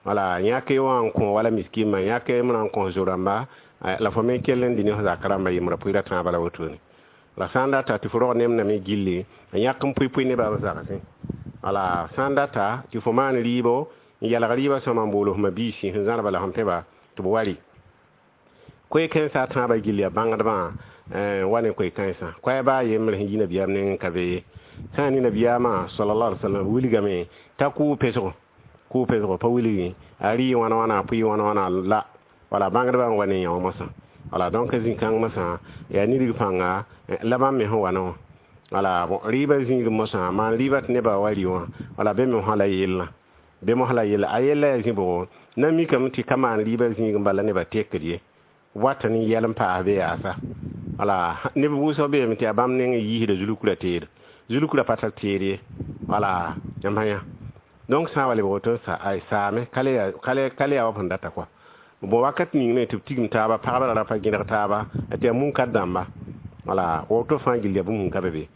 Wala yãke wã n kõ wala miskimã yãke m na n kõ zo-rãmba la fo me kell n dɩ ne f zak rãmbã yembra pʋɩɩra tãabã la wotone. La sã n data tɩ fo rog nemna me gilli n yãk n pʋɩ-pʋɩ nebã b zagsẽ. Wala sã n data tɩ fo maan rɩɩbo n yalg rɩɩbã sõma n bool f ma-biisi sẽn zãrba la sẽn pẽba tɩ b wa rɩ. Koe-kãensã tãabã gill yaa bãngdbã wa ne koe-kãensã koɛɛ baa yembre sẽn yi nabiyaam nengẽ ka be ye. Sã n ne nabiyaamã sallallahu alaihi wasallam wilgame t'a kʋʋ pesgo pa wilgi a rɩ wãna wãna a pʋɩ wãna wãna la wala bãngdbã n wa ne yã wã mosã. Wala donc zĩ-kãng mosã yaa nidg pãnga la bãmb me sẽn wa ne wã. Wala rɩɩbã zĩig mosã maan rɩɩbã tɩ nebã wa rɩ wã wala be me mosã la yellã be mosã la yella a yella yaa zĩ bʋgo na mikame tɩ ka maan rɩɩbã zĩig n bala nebã tekd ye wat n yɛl n paas be yaasa. Wala neb wʋsg beeme tɩ yaa bãmb neng n yiisda zulukura teed zulukura pa tar teed ye. Wala yãmb sã yã donc sã n wa lebg woto n saame ka le yaa wa sẽn data kɔa. Bon wakat ning me tɩ b tigim taaba pagbã ra pa gẽdg taaba tɩ yaa munkar dãmba. Wala woto fãa gill yaa bũmb sẽn ka be be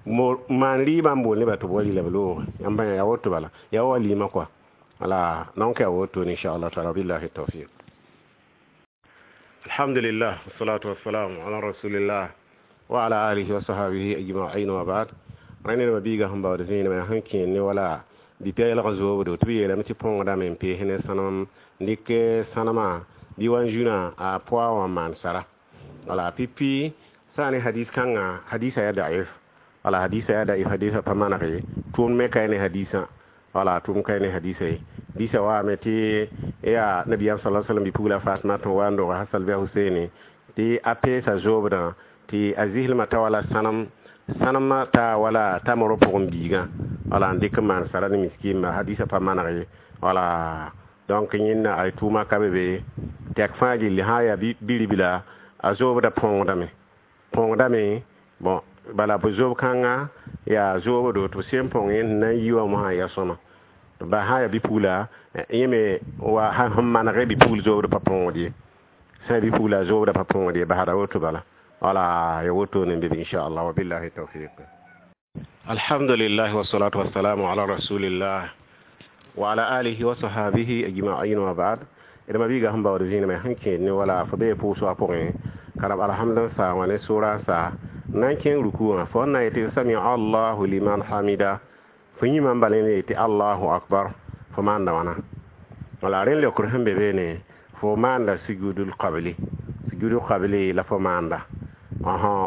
maan rɩɩbã n bool nebã tɩ b wa rɩ la b looge yãmb yã yaa woto bala yaa wa walima kɔa. Wala donc yaa woto inchallah taala billahi tawfiq. Alhamdulillah wassalatu wassalamu ala rasulillah wa ala alihi wa sahbihi ajma'in wa ba'd. Rẽnd d ma-biigã sẽn baood vẽenemã yaa sẽn kẽer ne wala bi-pɛɛlg zoobdo tɩ b yeelame tɩ põngdame n pees ne sãnem n dɩk sãnemã bɩ wa n zũnã a poa wã n maan sara. Wala pipi sã ne hadis kãngã hadisa yaa daif. Wala hadisa yaa daif hadisa pa maneg ye tʋʋm me ka ne hadisã. Wala tʋʋm ka ne hadisa ye disa waame tɩ yaa nabiyaam sala sallam bi-pugla Fatma tɩ wa n dog Hasan bɩ a Huseene tɩ a peesa zoobdã tɩ a zislmã ta wala sãnem sãnemã ta wala tamrã pʋgẽ biigã wala n dɩk n maan sara ne miskimba hadisa pa maneg ye. Wala donc yẽnda ay tʋʋma ka be be tɛk fãa gilli sã n yaa bi-ribla A zoobda põongdame bon bala b zoob kãnga yaa zoobdo tɩ b sẽn põng yẽ na n yi wã mosã ya sõma ba sã n yaa bi-pugla yẽ me wa sẽn manege bi-pugl zoobd pa põongd ye sã n bi-pugla zoobda pa põongd ye basda woto bala wala ya woto ne bɩ inchallah wa billahi tawfiq. Alhamdulillah wassalatu wassalamu ala rasulillah wa ala alihi wa sahabihi ajma'in wa ba'd. D ma biiga sẽn baood zĩnime sẽn kẽed ne wala fo bee pʋʋs wã pʋgẽ karab alhamd n saa wã ne sʋra n saa na n kẽng ruku wã fo n na yetɩ sami allahu liman hamida fo yĩmã n bal yẽ yetɩ allahu akbar fo maanda wãna wala rẽnd leokr sẽn be beene fo maanda sujudul qabli sujudul qabli la fo maanda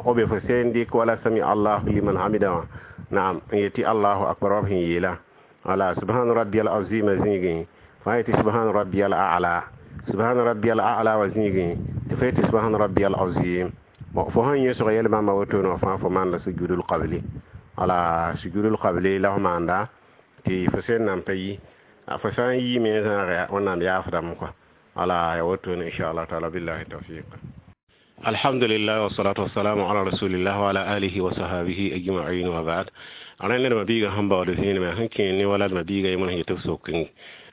o be fo sẽn dɩk wala sami allahu liman hamida wã naam n yetɩ allahu akbar wa b sẽn yeela wala subhana rabbiyal azima zĩigẽ fo yetɩ subhana rabbiyal a'la subhana rabbiyal a'la wa zĩigẽ tɩ fo yetɩ subhana rabbiyal azim bon fo sẽn yẽsg yɛl bãmba wotone fãa fo maanda sujudul qabli wala sujudul qabli la fo maanda tɩ fo sẽn nan pa yi fo sã n yiime zãag wẽnnaam yaafdame kɔa wala ya wotone inchallah taala billahi tawfiq. Alhamdulillah wassalatu wassalamu ala rasulillah wa ala alihi wa sahabihi ajma'in wa ba'd. Rẽnd d ma biiga sẽn baood zĩnime sẽn kẽed ne wala d ma biiga yemb sẽn yetɩ b sok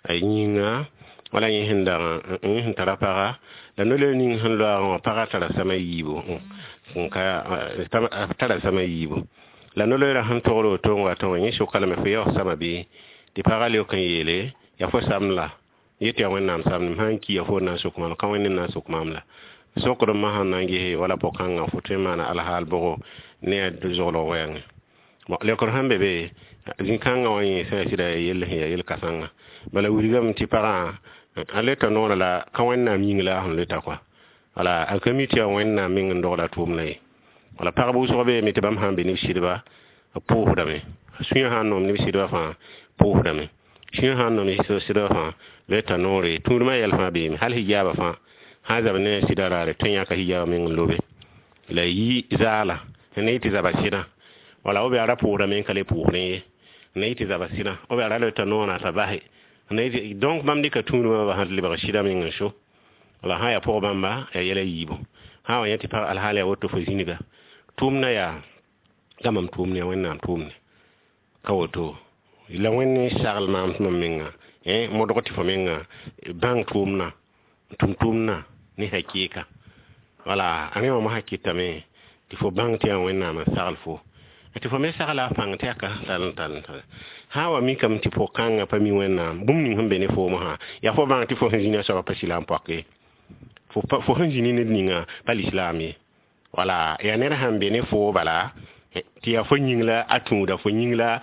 yĩnga wala yẽ sẽn dag yẽ sẽn tara paga la no-loeer ning sẽn loaagã wã pagã tara sama yiibu tara sama yiibu la no-loeerã sẽn togr woto n wa tõ yẽ soka lame fo yaoos sama bɩ tɩ pagã leok n yeele yaa fo samd la yetɩ yaa wẽnnaam samd m sãn ki ya fo na n sok maam ka wẽnd n na n sok maam la sokd m sãn na n gese wala pʋg-kãngã fo tõe n maana alhaal bʋgo ne a zoglg wɛɛngẽ bon leokr sẽn be be zĩ-kãngã wã yẽ sã sɩda ya yell sẽn yaa yel-kãsengã bala wilgame tɩ pagã a leta noorã la ka wẽnnaam yĩng la a sẽn leta kɔa wala a ka mi tɩ yaa wẽnnaam meng n dogla tʋʋmdã ye wala pagb wʋsg beeme tɩ bãmb sãn be ne b sɩdba b pʋʋsdame sũyã sãn n nom ne b sɩdba fãa pʋʋsdame sũyã sãn n nom ne sɩdba fãa leta noore tũudmã yɛl fãa beeme hal hijaaba fãa sã zab ne sɩda raare tõe n yãka hijaaba meng n lobe la yi zaala ne yɩ tɩ zaba sɩdã wala b yaa ra pʋʋsdame n ka le pʋʋsdẽ ye ne yɩ tɩ zaba sɩdã b yaa ra leta noorã t'a base donc bãmb dɩka tũudmã ba sãn lebg sɩda meng n so wala sã yaa pʋg bãmba yaa yɛla yiibu sã wa yẽ tɩ pag alhaal yaa woto fo zĩniga tʋʋmdã yaa ka mam tʋʋmd yaa wẽnnaam tʋʋmde ka woto la wẽnd n sagl maam tɩ mam menga modg tɩ fo menga bãng tʋʋmdã tʋm tʋʋmdã ne hakɩɩka wala a rẽ wã mosã kɩtame tɩ fo bãng tɩ yaa wẽnnaam n sagl fo tɩ fo me sagla a pãng tɩ yaa ka tal tal tal sã wa mikame tɩ pʋg-kãngã pa mi wẽnnaam bũmb ning sẽn be ne foom sã yaa fo bãng tɩ fo sẽn zĩna soaba pa sɩla n poake fo sẽn zĩni ned ninga pa lislaam ye wala yaa ned sãn be ne foo bala tɩ yaa fo yĩng la a tũuda fo yĩng la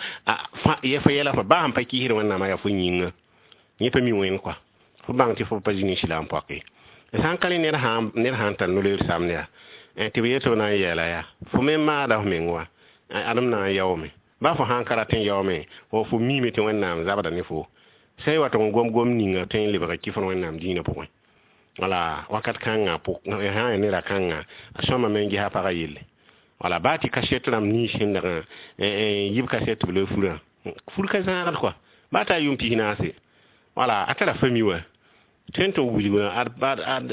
fo yɛla fo baa sãn pa kɩsd wẽnnaamã yaa fo yĩnga yẽ pa mi wẽnd kɔa fo bãng tɩ fo pa zĩni sɩla n poake sã n ka rẽ ned sãn tar no-loeer samd yaa tɩ b yetɩ b na n yɛɛla yaa fo me maada f meng wa adem na n yaoome ba fo sãn ka rat n yaoome fo miime tɩ wẽnnaam zabda ne fo sã y wa tɩ n gom gom ninga tõe n lebg kɩf wẽnnaam dĩinã pʋgẽ wala wakat kãngã sã yaa neda kãngã a sõmame n ges a pagã yelle wala baa tɩ kaset rãmb nins sẽn dag n yib kaset tɩ b loe furã fur ka zãagd kɔa baa t'a yʋʋm 40 wala a tara fami wa tõe n tɩ wilg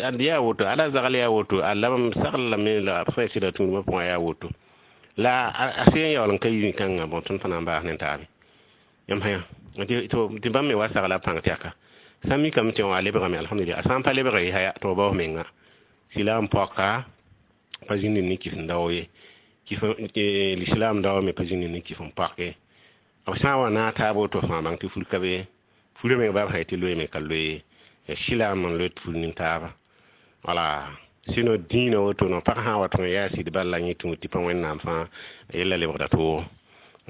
ad yaa woto ad a zagl yaa woto a lab sagl lame la b sã sɩda tũudmã pʋgã yaa woto la a sẽn yaool n ka yi zĩ-kãngã bõ tõnd fãa na n baas ne taabe yãmb sã tɩ bãmb me wa sagla pãng tɩ yaka sã n mikame tɩ wã a lebgame alhamdulillah a sã n pa lebg ye haya tɩ b baoos menga sɩla n poaka pa zĩnd ne kɩs n dao ye l'islam dao me pa zĩnd ne kɩs n poake b sã n wa naag taab woto fãa bãng tɩ fur ka be furã meng baa b sã yetɩ loeeme ka loe ya sɩlaam n loe fur nin-taaba wala sɩno dĩinã woto no pag sã n wa tɩ yaa sɩd bal la yẽ tũud tɩ pa wẽnnaam fãa yella lebgda toogo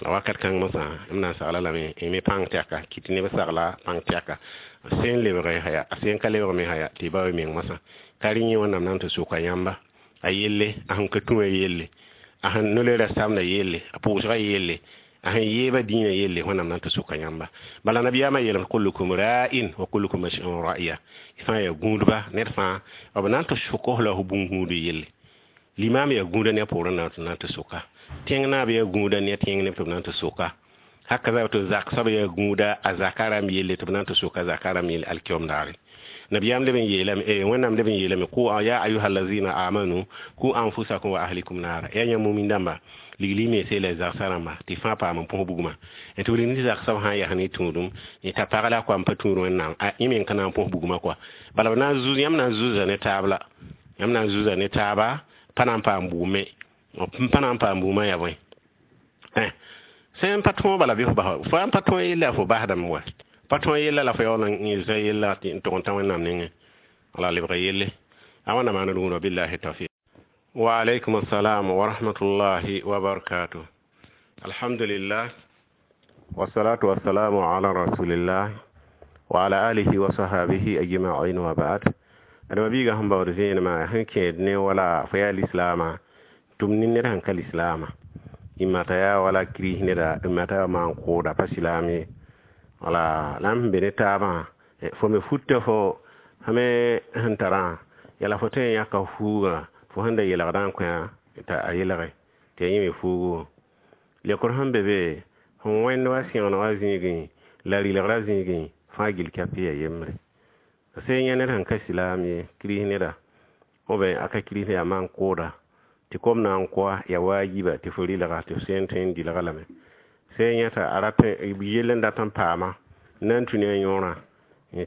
la wakat kãng mosã m na n sagla lame me pãng tɩ yaka kɩt neb sagla pãng tɩ yaka sẽn lebg haya a sẽn ka lebg me haya tɩ ba meng mosã ka rẽ yẽ wẽnnaam na n tɩ soka yãmba a yelle a sẽn ka tũ a yelle a sẽn no-loeerã samda yelle a pʋʋsga yelle a sẽn yeeba dĩinã yelle wẽnnaam na n tɩ soka yãmba bala nabiyaamã yeelame kullukum ra'in wa kullukum mas'ulun ra'iya fãa yaa gũudba ned fãa b na n tɩ sok f la f bũn-gũud yelle limaam yaa gũuda ne a poorẽ na n tɩ soka tẽng naab yaa gũuda ne tẽng neb tɩ b na n tɩ soka Haka to zak soab yaa gũuda a zaka rãmb yelle tɩ b na n tɩ soka zaka rãmb yelle alkiom daare. Nabiyaam leb n yeelame, Wẽnnaam leb n yeelame: "Qu ya ayuha allazina amanu qu anfusakum wa ahlikum naara." Yaa yãmb mumin dãmba, ligli mense la zagsã rãmba tɩ fãa paam n põs bugmã. Tɩ b rɩnd zag soab sã n yaa ne tũudum t'a pag la a n pa tũud Wẽnnaam, yẽ meng ka na n põs bugmã kɔa. Bala b na n zuz, yãmb na n zuza ne taab la yãmb na n zuza ne taaba, pa na n paam bugme, pa na n paam bugmã. Yaa bõe, sẽn pa tõog bala bɩ f bas, fo n pa tõog yella fo basdame wa pa tõog yella la fo yaool n zã yella n tʋg n tã Wẽnnaam nengẽ wala lebga yelle a wãnda maana rũndã. Billahi tawfiq. Wa alaykum assalam wa rahmatullahi wa barakatuh. Alhamdulillah, wassalatu wassalamu ala rasulillah wa ala alihi wa sahabihi ajma'in, wa ba'd. Adama biiga sẽn baood vẽenemã sẽn kẽed ne wala fo yaa lislaamã tʋm ne ned sẽn ka lislaamã imata yaa wala kiris neda, imata yaa maan kʋʋda pa silaam ye, wala la m sẽn be ne taabã, fo me futa fo me sẽn tarã yala fo tõe n yãka fuugã fo sẽn da yelgdã n kõ t'a a yelge tɩ ya yẽ me fuugu lekr sẽn be be sẽn wẽnd wa sẽgen wa zĩigẽ la rɩlgrã zĩigẽ fãa gill kɛp ya yembre sẽn yẽ ned sẽn ka silaam ye, kiris neda b a ka kiris yaa maan kʋʋda tɩ kom na n koa ya waajiba tɩ fo rɩlga tɩ f sẽn tõe n dɩlga lame sẽn yẽta a rat yell n dat n paama na n tũ ne a yõorã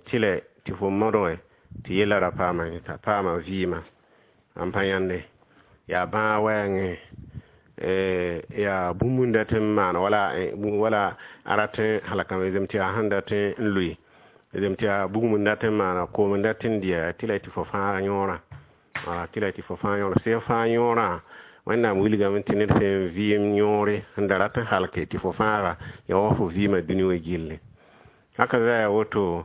tɩlɛ tɩ fo modge tɩ yella ra paama t'a paama vɩɩmã n pa yãnde yaa bãag wɛɛngẽ, yaa bũmb n dat n maan wala a rat n halkame zem tɩ yaa sẽn dat n loe zem tɩ yaa bugum n dat n maana koom n dat n dɩa tɩ la tɩ fo fãag yõorã, wala tɩ la tɩ fo fãag yõorã sẽn fãag yõorã. Wẽnnaam wilgame tɩ ned sẽn vɩɩm yõore sẽn da rat n halke tɩ fo fãaga ya wa fo vɩɩmã dũni wã gilli haka za yaa woto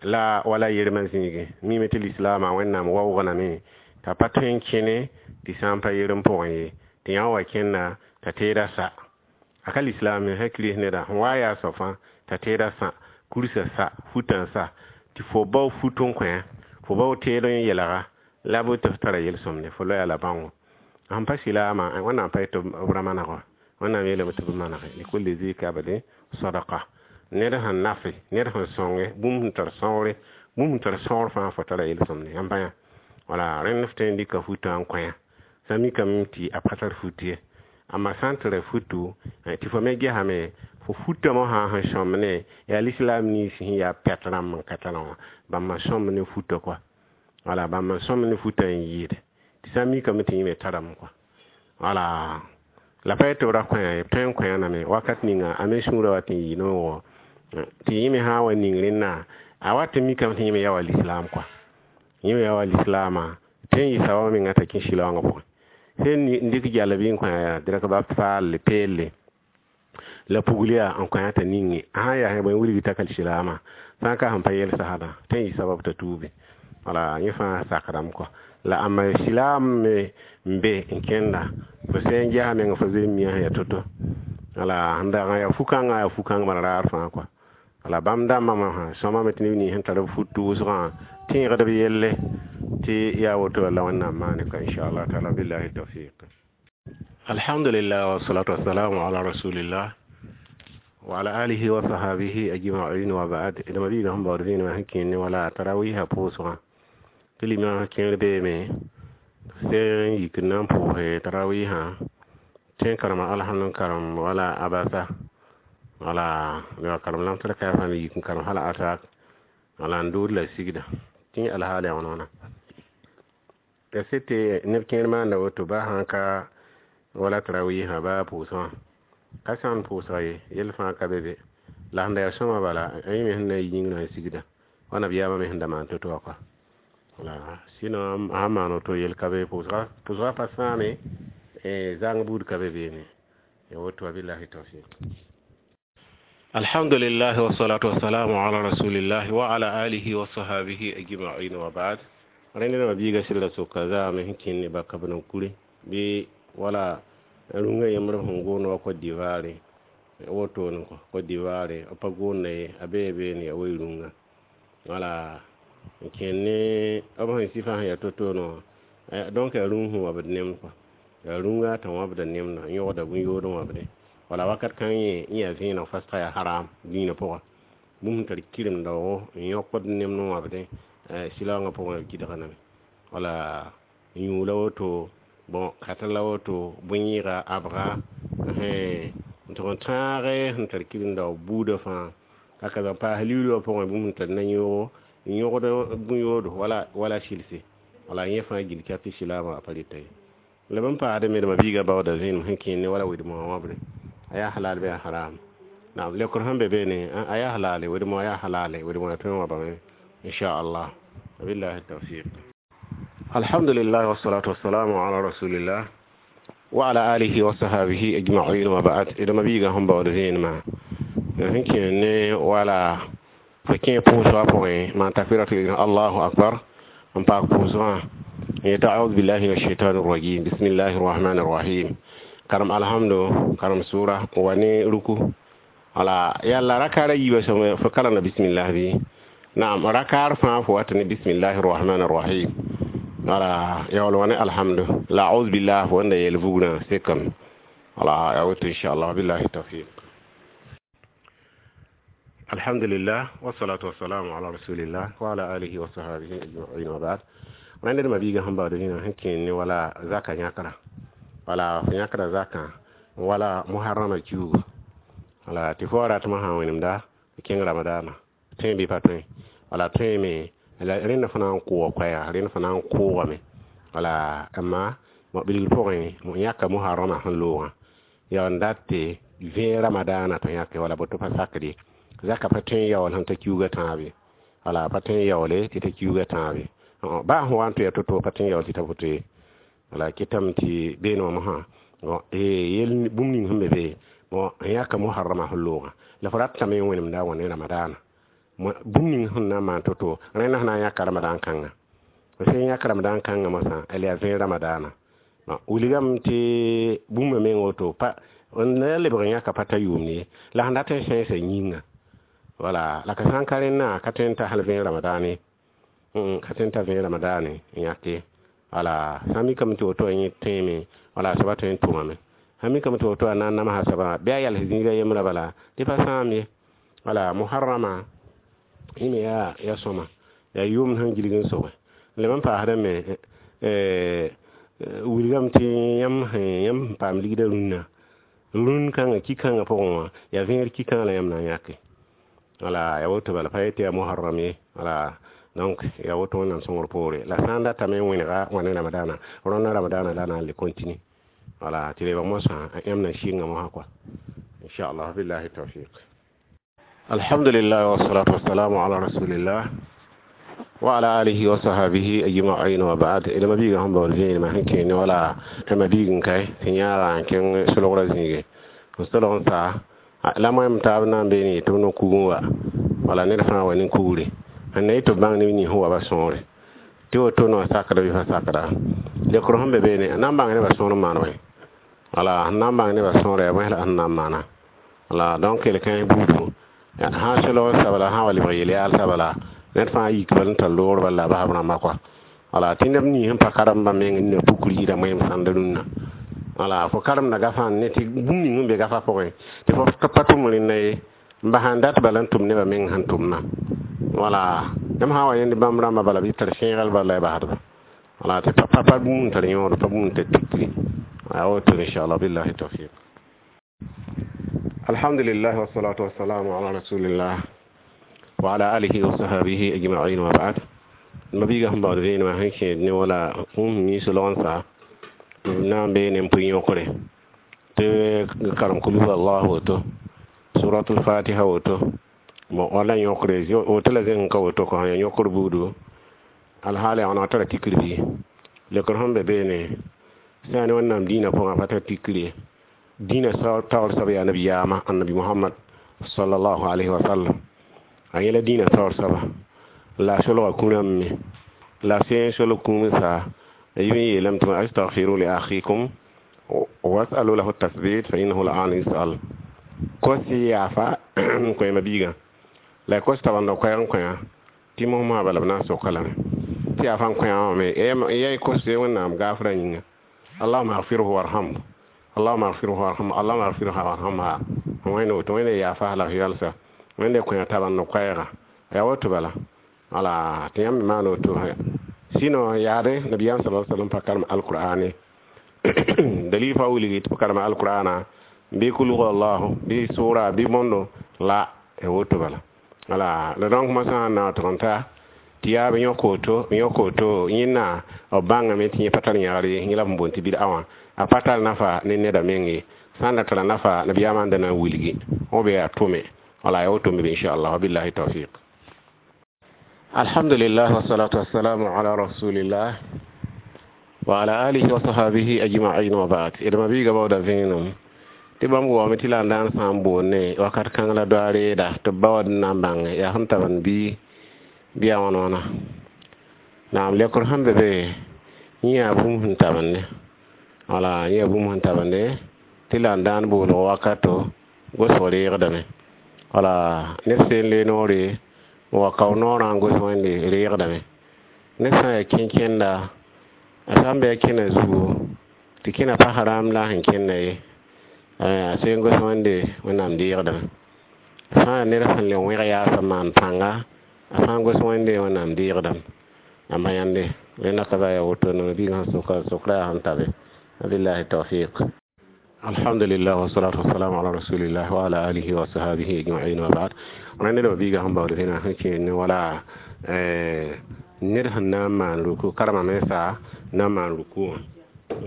la wala yermã zĩigẽ mime tɩ lislaamã Wẽnnaam waoogdame t'a pa tõe n kẽne tɩ sã n pa yerem pʋgẽ ye tɩ yã wa kẽnda t'a teeda sa a ka lislaam sã kirist neda sẽn wa yaa soab fãa t'a teeda sã kursa sa futã sa tɩ fo bao fut n kõ fo bao teed n yelga la bɩ tɩ f tara yel-sõmde fo loya la bãngo sẽn pa silaamã. Wẽnnaam pa tɩ b ra maneg, Wẽnnaam yeelame tɩ b manege likulli zi kabdin sadaka. Ned sẽn nafe, ned sẽn sõnge bũmb sẽn tar sõgre, bũmb sẽn tar sõgr fãa fo tara yel-sõmde yãmb pa yã. Wala rẽnd f tõe n dɩka futã n kõ sã mikame tɩ a pa tar fut ye, amma sã n tara futu tɩ fo me gesame fo futame sã sẽn sõmb ne yaa lislaam nins sẽn yaa pɛt rãmb n ka tarã wã bãmba sõmb ne futã kɔa, wala bãmba sõmb ne futã n yɩɩd tɩ sã n mikame tɩ yẽ me tarame kɔa. Wala la pa tɩ b ra kõ b tõe n kõ wakat ninga a me sũurã wa tɩ n yɩ noogo tɩ yẽ me sã n wa ning rẽnna a wat n mikame tɩ yẽ me yaa wa lislaam kɔa, yẽ me yaa wa lislaamã tɩ n yɩ saoog menga t'a kẽ sɩlaoongã pʋgẽ sẽn n dɩk jal bɩ n kõ direk ba faal peelle la pugl yaa n kõ t'a ninge a sã n yaa bõe wilg t'a ka silaamã sã n ka sẽn pa yel sasdã tɩ n yɩ sabab t'a tuubi. Wala yẽ fãa sakdame kɔa la ãmba silaam me n be n kẽnda fo sẽn ges meng fo zoe n mia sẽn yaa to-to. Wala sẽn dag n yaa fu-kãngã yaa fu-kãng bala raar fãa kɔa. Wala bãmb dãmbã mosã sõmame tɩ neb nins sẽn tar b fut wʋsgã tẽegd b yelle tɩ yaa woto la Wẽnnaam maane ka inchallah taala. Billahi tawfiq. Alhamdulillah, wassalatu wassalamu ala rasulillah wa ala alihi wa sahabihi ajma'in, wa ba'd. Dama biiga sẽn baood vẽenemã sẽn kẽnd ne wala tarawiisã pʋʋsgã tɩ limã kẽer beeme sẽn yik n na n pʋʋse tarawiisã tẽ n karema alhamd n karem wala abasa wala wa karem lamtr kayfã me yik n karem hala atak wala n dood la sigda tɩ alhaal yaa wãna wãna ya se tɩ neb kẽer maanda woto ba sãn ka wala tarawiisã ba pʋʋsgã ka sã n pʋʋsga ye yell fãa ka be be la sẽn da yaa sõma bala yẽ me sẽn na n yi yĩngrã n sigda wa nabiyaamã me sẽn da maan to-to wã kɔa. Wala sɩno a sãn maan woto yel ka be pʋʋsga pa sãame zãng buud ka be beene ya woto. Wa billahi tawfiq. Alhamdulillah, wassalatu wassalamu ala rasulillah wa ala alihi wa sahabihi ajma'in, wa ba'd. Rẽnd rãmba biiga sɩlda soka zaame sẽn kẽnd ne baka b nan kure bɩ wala rũngã yembr sẽn goond wa Côte d'Ivoire wotone kɔ Côte d'Ivoire b pa goonda ye a bee beene ya wee rũngã wala n kẽnd ne b sẽn sɩfã sẽn yaa to-toone wã. Donc yaa rũng sẽn wabd nemd kɔ, yaa rũngã t'a wãbda nemda n yõgda bũn-yood n wãbde. Wala wakat kãng yẽ yaa vẽeneg fasga yaa haram dĩinã pʋga. Bũmb sẽn tar kɩrem-daoogo n yõkd nemd n wãbdẽ silaoongã pʋgẽ b gɩdgdame. Wala yũ la woto, bõn kata la woto, bõe-yẽega, abga, n tʋg n tãage sẽn tar kɩrem-daoog buudã fãa. Haka zã paas liuuli wã pʋgẽ bũmb sẽn tar na-yõogo n yõgd bõe-yoodo wala sɩlse. Wala yẽ fãa gill ka tɩ silaamã pa reta ye. La b n paasdame d mabiigã baooda vẽenem sẽn kẽer ne wala wed-moogã wãbre, a yaa halal bɩ yaa haram? Naam, leokr sẽn be beene, a yaa halale, wed-moogã yaa halale, wed-moogã tõe n wãbame inchallah. Wabillahi tawfiq. Alhamdulillah, wassalatu wassalamu ala rasulillah wa ala alihi wa sahabihi ajma'in wa ba'd. D mabiigã sẽn baood vẽenemã sẽn kẽer ne wala fo kẽ pʋʋsgã pʋgẽ maan takbiratul ihram, allahu akbar, n paak pʋʋsgã n yeta audu billahi min ashaitan rajim, bismillahi rrahmani rrahim, karem alhamdu, karem sʋra n wa ne ruku. Wala yalla rakaara yiibã sõm fo karemda bismillah bɩ? Naam, rakaar fãa fo wat ne bismillahi rrahmani rrahim. Wala yaool wa ne alhamdu la audu billah fo wẽnda yeel vugrã sekame. Wala ya woto inchallah. Billahi tawfiq. Alhamdulillah, wassalatu wassalamu ala rasulillah wa ala alihi wa sahbihi ajma'in wa ba'd. Rẽnd d mabiigã sẽn baood rĩnã sẽn kẽer ne wala zaka yãkra, wala fo yãkra zakã wala muharrama kiugu. Wala tɩ fo wa ratmã sã n wẽnemda kẽng ramadaana tõe bɩ pa tõe? Wala tõeme. La rẽnd fo na n kʋʋga koɛɛga, rẽnd fo na n kʋʋgame. Wala amma bilgr pʋgẽ yãka muharrama sẽn loogã yaa n dat tɩ vẽeg ramadaana tɩ yãke wala boto pa sakd ye. Zaka pa tõe n yaool sẽn ta kiuugã tãab ye. Wala pa tõe n yaoole tɩ ta kiuugã tãab ye. Baa sẽn wa n tɩ ya to-to pa tõe n yaool tɩ ta woto ye. Wala kɩtame tɩ beene wã mosã yel bũmb ning sẽn be be bon n yãka muharrama sẽn loogã la fo ratame n wẽnemda wã ne ramadaana bũmb ning sẽn na n maan to-to. Rẽnd sẽn na n yãka ramadan kãnga, sẽn yãk ramadan kãngã mosã l yaa vẽeg ramadaana. Wilgame tɩ bũmba meng woto pa n la lebg n yãka pa ta yʋʋmd ye. La sẽn dat n sẽesa yĩnga, wala la ka sã n ka rẽnnã ka tõe n ta hal vẽeg ramadan ye, ka tõe n ta vẽeg ramadan n yãke. Wala sã n mikame tɩ woto yẽ tõeme, wala soaba tõe n tʋmame. Sã n mikame tɩ woto a na n namsa soabã bɩ a yals zĩiga yembrã bala tɩ pa sãam ye. Wala muharrama yẽ me yaa sõma, yaa yʋʋmd sẽn gilg n sobẽ. Leb n paasdame, wilgame tɩ yãmb sẽn paam ligdã rũnnã, rũn kãngã ki-kãngã pʋgẽ wã yaa vẽegr ki-kãngã la yãmb na n yãke. Wala yaa woto bala pa yetɩ yaa muharram ye. Wala donc yaa woto Wẽnnaam sõngr poore. La sã n datame n wẽnega wã ne ramadaana, rõndã ramadaana la na n le continue. Wala tɩ lebg mosã yãmb na sɩnga mosã kɔa inchallah. Billahi tawfiq. Alhamdulillah, wassalatu wassalamu ala rasulillah wa ala alihi wa sahbihi ajma'in wa ba'd. D mabiigã sẽn baood vẽenemã sẽn kẽer ne wala mabiig n kae tɩ yãaga n kẽng solgrã zĩige n solg n sa la moẽm taab na n beene tɩ b no-kug n wa. Wala ned fãa wa ne kugre sẽn na yetɩ b bãng neb nins sẽn wa ba sõore tɩ woto no sakda bɩ pa sakda. Leokr sẽn be beene na n bãng nebã sõor n maan wẽ. Wala sẽn na n bãng nebã sõora yaa bõe la sẽn na n maana. Wala donc kell kãens buudu sã n solg n sabla sã n wa lebg yel-yaal sabla ned fãa yik bal n tar loogr bal la a basb rãmba kɔa. Wala tɩ neb nins sẽn pa karem bãmb meng n na pukr yɩɩda moeem sãnd rũnnã. Wala fo karemda gafã ne tɩ bũmb ning sẽn be gafã pʋgẽ tɩ fo pa tʋm rẽnna ye n bas n dat bala n tʋm nebã meng sẽn tʋmna. Wala yãmb sã n wa yẽnd bãmb rãmbã bala bɩ tar sẽegal bala la y basdba. Wala tɩ pa pa bũmb n tar yõod, pa bũmb n tar tikri a woto inchallah. Billahi tawfiq. Alhamdulillah, wassalatu wassalamu ala rasulillah wa ala alihi wa sahbihi ajma'in wa ba'd. Mabiigã sẽn baood vẽenemã sẽn kẽed ne wala bũmb mi solg n sa na n beene n pʋɩ yõkre tɩ karem kul huwa allah woto, suratul fatiha woto, bon wala yõkre woto la zẽng ka woto kõ yaa yõkr buudu alhaal yaa wãneg tara tikr bɩ? Lekr sẽn be beene sã ne Wẽnnaam dĩinã pʋgã pa tar tikr ye. Dĩinã taoor soab yaa nabiyaamã annabi Mohamad sallallahu alayhi wa sallam, a yẽla dĩinã taoor soaba la a solga kũ-rãmb me la sẽn solg kũum sa a yɩ yeelame tɩ astagfiru li akhikum wasalu lahu tasbit fa innahu al'an yus'al. Kos yaafa n koɛɛmã biigã la kos tabanda koɛɛg n kõ tɩ mosmosã bala b na n soka lame tɩ yaafa n kõ wã me ya y kos Wẽnnaam gaafrã yĩnga, allahuma agfirhu warhamhu. Allahumma ighfirhu warhamhu, Allahumma ighfirha warhamha. Wẽnde woto Wẽnde yaafa la f yalsa, Wẽnde kõ taba n koɛɛga yaa woto bala. Wala tɩ yãmb me maan woto. Sɩno yaade nabiyaam sala sallam pa karem alqur'ane dalil fa wilgi tɩ p karema alqur'ana bɩ kul huwa allahu bɩ sʋra bɩ bõndo la ya woto bala. Wala la donc mosã sẽn na tɩg n ta tɩ yaa b yõk woto, b yõk woto yẽnna b bãngame tɩ yẽ pa tar yãgr ye, yẽ la b boond tɩ bid'a wã a pa tar nafa ne neda meng ye. Sã n da tara nafa, nabiyaamã n da na n wilgi b yaa tʋme. Wala ya woto me inchallah. Wabillahi tawfiq. Alhamdulillah, wassalatu wassalamu ala rasulillah wa ala alihi wa sahabihi ajma'in wa ba'd. Idma biiga bawda vẽenem tɩ bãmb waame tɩ la n daan sã n boonne wakat kãng la doa reeda tɩ b ba wad n na n bãnge yaa sẽn tab n bɩ yaa wãn wãna naam lekr sẽn be be yẽ yaa bũmb sẽn tabende. Wala yẽ yaa bũmb sẽn tabende tɩ la n daan boolg wakato gosg reegdame. Wala ned seen le noore n wa kao noorã n gos Wẽnde reegdame. Ned sã n yaa kẽn-kẽnda, a sã n bɩ a kẽna zugu tɩ kẽna pa haram la a sẽn kẽnda ye, a seen gos Wẽnde Wẽnnaam deegdame. A sã n yaa ned sẽn le wẽg yaasã maan pãnga, a sã n gos Wẽnde Wẽnnaam deegdame. A ma yãnde rẽnda ka ba yaa woto no biigã sẽn soka sokra yaa sẽn tabe. Wabillahi tawfiq. Alhamdulillah, wassalatu wassalamu ala rasulillah wa ala alihi wa sahabihi ajma'in wa ba'd. Rẽnd ned biiga sẽn baood vẽna sẽn kẽer ne wala ned sẽn na n maan ruku, karema mensa na n maan ruku wã,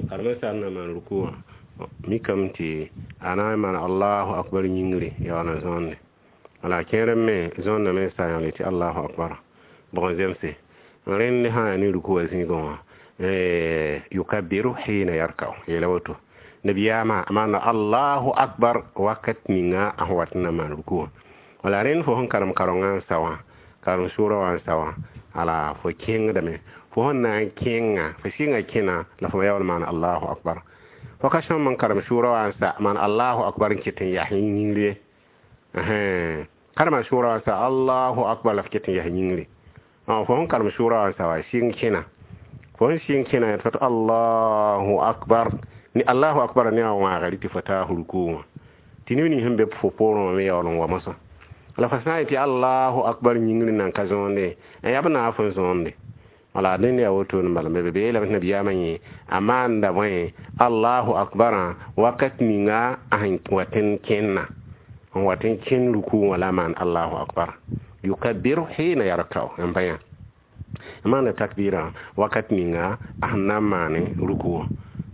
karema sã n na maan ruku wã, mikame tɩ a na n maan allahu akbar yĩngri yaool n zõonde. Wala kẽer me zõonda mensa yãle tɩ allahu akbar bʋg n zemse. Rẽnd sã yaa ne ruku wã zĩigẽ wã, yukabbiru hina yarkau, yeela woto nabiyaamã a maanda allahu akbar wakat ninga a sẽn wat n na maan ruku wã. Wala rẽnd fo sẽn karem karengã n sa wã, karem sʋʋra wã n sa wã, ala fo kẽngdame, fo sẽn na n kẽnga, fo sɩnga kẽna la fo yaool maan allahu akbar. Fo ka sõm n karem sʋʋra wã n sa maan allahu akbar n ket n yas yĩngri ye. Karema sʋʋra wã n sa allahu akbar la fo ket n yas yĩngri. Fo sẽn karem sʋʋra wã n sa wã, sɩng kẽna, fo sẽn sɩng kẽna tɩ fo allahu akbar ni allahu akbar ne a wãaga tɩ fo taa ruku wã tɩ neb nins sẽn be fo poorẽ wã me yaool n wa mosã. La fo sã n yetɩ allahu akbar yĩngri nan ka zõonde, n yaa b naaf n zõonde. Wala dẽnd yaa woto n bala be yeelame tɩ nabiyaamã yẽ a maanda bõe allahu akbarã wakat ninga a sẽn wat n kẽnna, n wat n kẽn ruku wã la a maan allahu akbar yukabbiru hina yarkau n pa yã a maanda takbirã wakat ninga a sẽn na n maane ruku wã.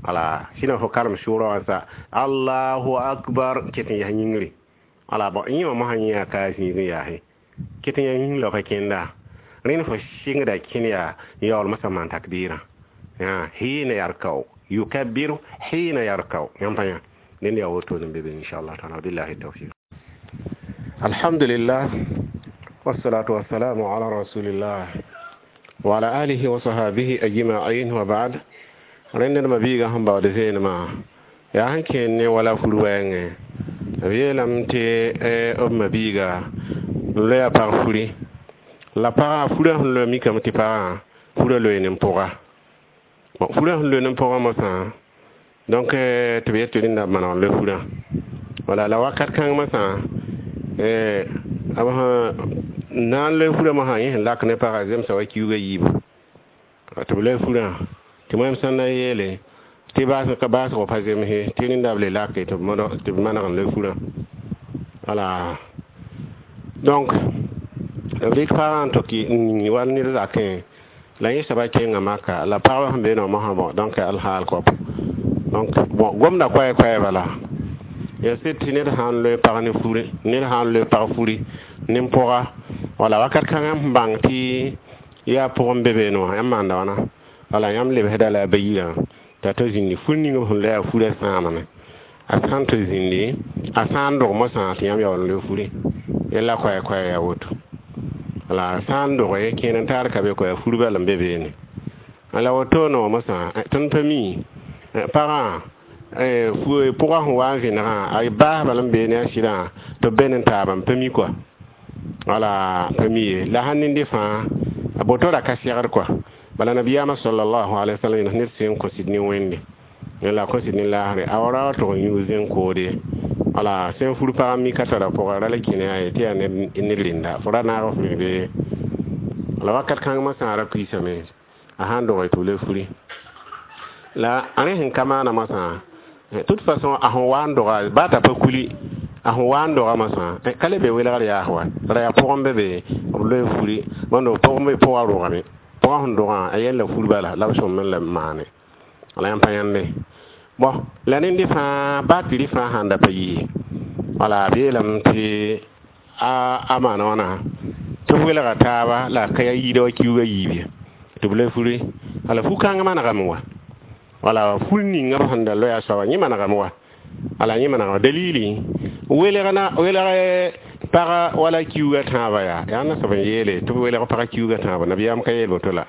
Wala sĩna fo karem sʋʋra wã sa allahu akbar ket n yas yĩngri. Wala bõ yẽ wã mosã yẽ yaa ka a zĩig n yaase ket n yaa yĩng la fa kẽnda. Rẽnd fo sɩngda kẽn yaa yaool mosã maan takbirã hina yarkau yukabbiru hina yarkau yãmb pa yã dẽnd yaa woto n be be inchallah taala. Billahi tawfiq. Alhamdulillah, wassalatu wassalamu ala rasulillah wa ala alihi wa sahabihi ajma'in wa ba'd. Rẽnd ned mabiigã sẽn baood vẽenemã yaa sẽn kẽer ne wala fur wɛɛngẽ, b yeelame tɩ b mabiiga n loya pag furi la pagã furã sẽn loe mikame tɩ pagã furã loe ne pʋga. Bon, furã sẽn loe ne pʋgã mosã, donc tɩ b yet tɩ rẽnda b maneg n loe furã. Wala la wakat kãng mosã b sẽn na n loe furã mosã, yẽ sẽn lak ne pagã zemsa wa kiuugã yiibu tɩ b loe furã tɩ wẽm sẽn na yeele tɩ baasg ka baasgo pa zemse tɩ rẽnda b le lake tɩ b maneg n loe furã. Wala donc b rɩk pagã n tʋk n yĩng wall ned zakẽ la yẽ soaba kẽnga maka la pagba sẽn beene wã mosã. Bõ, donc alhaal kõp, donc bon, gomda koɛɛ bala yaa sɩd tɩ ned sã n loe pag ne furi, ned sã n loe pag furi ne pʋga, wala wakat kãngã n bãng tɩ yaa pʋgẽ be beene wã yãmb maanda wãna. Wala yãmb lebsda la a ba yirã t'a ta zĩndi fur ning b sẽn loe a furã sãamame, a sã n tɩ zĩndi a sã n dog mosã tɩ yãmb yaool n loe furi yella koɛɛ koɛɛ yaa woto. Wala sã n doge kẽer n taar ka be koa fur bal n be beene. La woto no mosã tõnd pa mi pagã pʋgã sẽn wa n vẽnegã a baas bal n beene a sɩdã tɩ b be ne taabã n pa mi kɔa. Wala pa mi ye la sãn nende fãa a boto ra ka segd kɔa. Bala nabiyaamã sallallahu alaihi wasallam ned sẽn kõ sɩd ne Wẽnde La kõs ne laasre a wa ra tʋg n yũ zẽn koode. Wala sẽn fur pag mi ka tara pʋga ra la kẽne a tɩ yaa ned rẽnda fo ra naag f me bee. La wakat kãng masã ra kuisame a sãn dog tɩ b le furi la a rẽ sẽn ka maana masã. Toute façon, a sẽn wa n doga baa t'a pa kuli, a sẽn wa n doga masã ka le be welgr yaas wa ra yaa pʋgẽ be be b loe furi bõnd pʋgẽ be pʋgã rogame pʋgã sẽn dogã a yɛl la fur bala la b sõm n la maane wala yãmb pa yãnde. Bon, la nende fãa baa tɩ rɩ fãa sãn da pa yɩ wala b yeelame tɩ a maana wãna tɩ b welga taaba la ka yaa yiida wa kiuugã yiib ye tɩ b le furi. Wala fu-kãng manegame wa wala fur ninga b sẽn da loya soaba yẽ manegame wa wala yẽ manegame dalili welg na welg paga wala kiuugã tãabã yaa yaa na soab n yeele tɩ b welg pagã kiuugã tãabã nabiyaam ka yeel woto la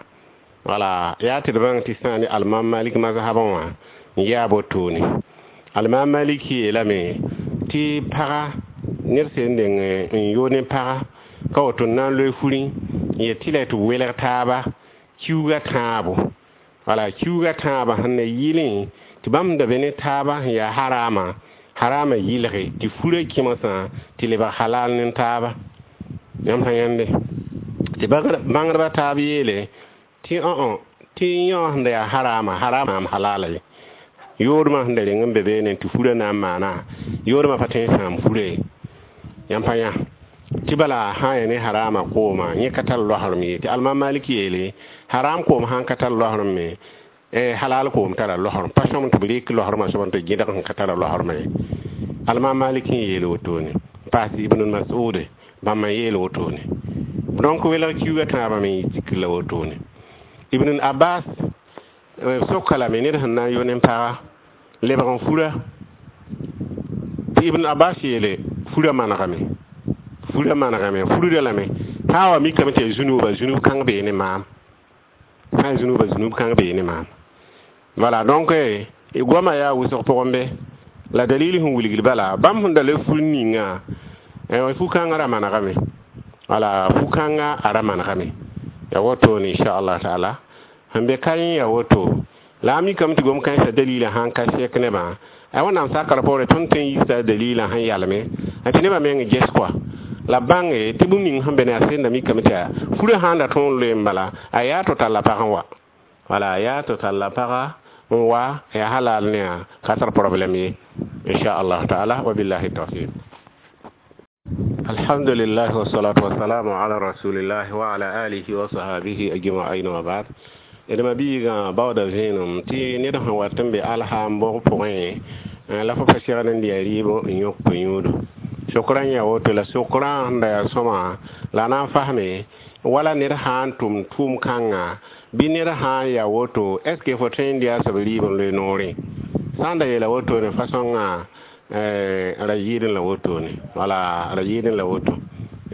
wala yaa tɩ d bãng tɩ sã ne alimam Malik mazhabã wã n yaa wotone. Alimam Malik yeelame tɩ paga ned sẽn deng n yo ne paga ka woto n na n loe furẽ n yet tɩ la tɩ welg taaba kiuugã tãabo wala kiuugã tãabã sẽn na yɩlẽ tɩ bãmb da be ne taaba sẽn yaa harama harama yɩlge tɩ furã kẽmsã tɩ lebg halal ne taaba. Yãmb sã yãnde tɩ bãngdbã taab yeele tɩ õ tɩ yõ sẽn da yaa harama harama m halala ye yoodmã sẽn da reng n be beene tɩ furã na n maana yoodmã pa tõe n sãam furã ye. Yãmb pa yã tɩ bala sã n yaa ne harama kooma yẽ ka tar loasrem ye tɩ alimam Malik yeele haram koom sãn ka tar loasrem me halal koom tara loasrem pa sõm tɩ b rɩk loasremã soab tɩ gẽdg sẽn ka tara loasremã ye. Alimam Malik n yeel wotone paas Ibn Mas'ud bãmb n yeel wotone. Donc welg kiuugã tãabã me zikr la wotone. Ibn Abbas soka lame ned sẽn na n yo ne paga lebg n fura tɩ Ibn Abbas yeele furã manegame furã manegame furda lame sã wa mikame tɩ yaa zũnuba zũnub kãng bee ne maam sã n zũnuba zũnub kãng bee ne maam. Voilà, donc goamã yaa wʋsg pʋgẽ be la dalil sẽn wilgd bala bãmb sẽn da le fur ninga fu-kãngã ra manegame wala fu-kãngã a ra manegame ya wotone inchallah taala sẽn be ka yẽ ya woto la a mikame tɩ gom kãensã dalilã sãn ka sɛk nebã a wẽnnaam sakr poorẽ tõnd tõe n yisa dalilã sẽn yalme tɩ nebã meng ges kɔa la bãnge tɩ bũmb ning sẽn be ne a senda mikame tɩ yaa furã sãn da tõog n loe n bala a yaa tɩ talla pag n wa wala a yaa tɩ talla paga n wa yaa halal ne a ka tar problème ye inchallah taala. Wabillahi tawfiq. Alhamdulillah wassalatu wassalamu ala rasulillah wa ala alihi wa sahabihi ajma'in wa ba'd. D ma biigã baooda vẽenem tɩ ned sẽn wat n be alhaam bʋg pʋgẽ la fo pa segd n dɩ rɩɩb n yõk yũudo sokrã n yaa woto la sokrã sẽn da yaa sõma la na n fasme wala ned sã n tʋm tʋʋm kãnga bɩ ned sã n yaa woto est ce que fo tõe n dɩ a soab rɩɩb n loe noorẽ sã n da yeela wotone fasõngã ra yɩɩdẽ la wotone wala ra yɩɩdẽ la woto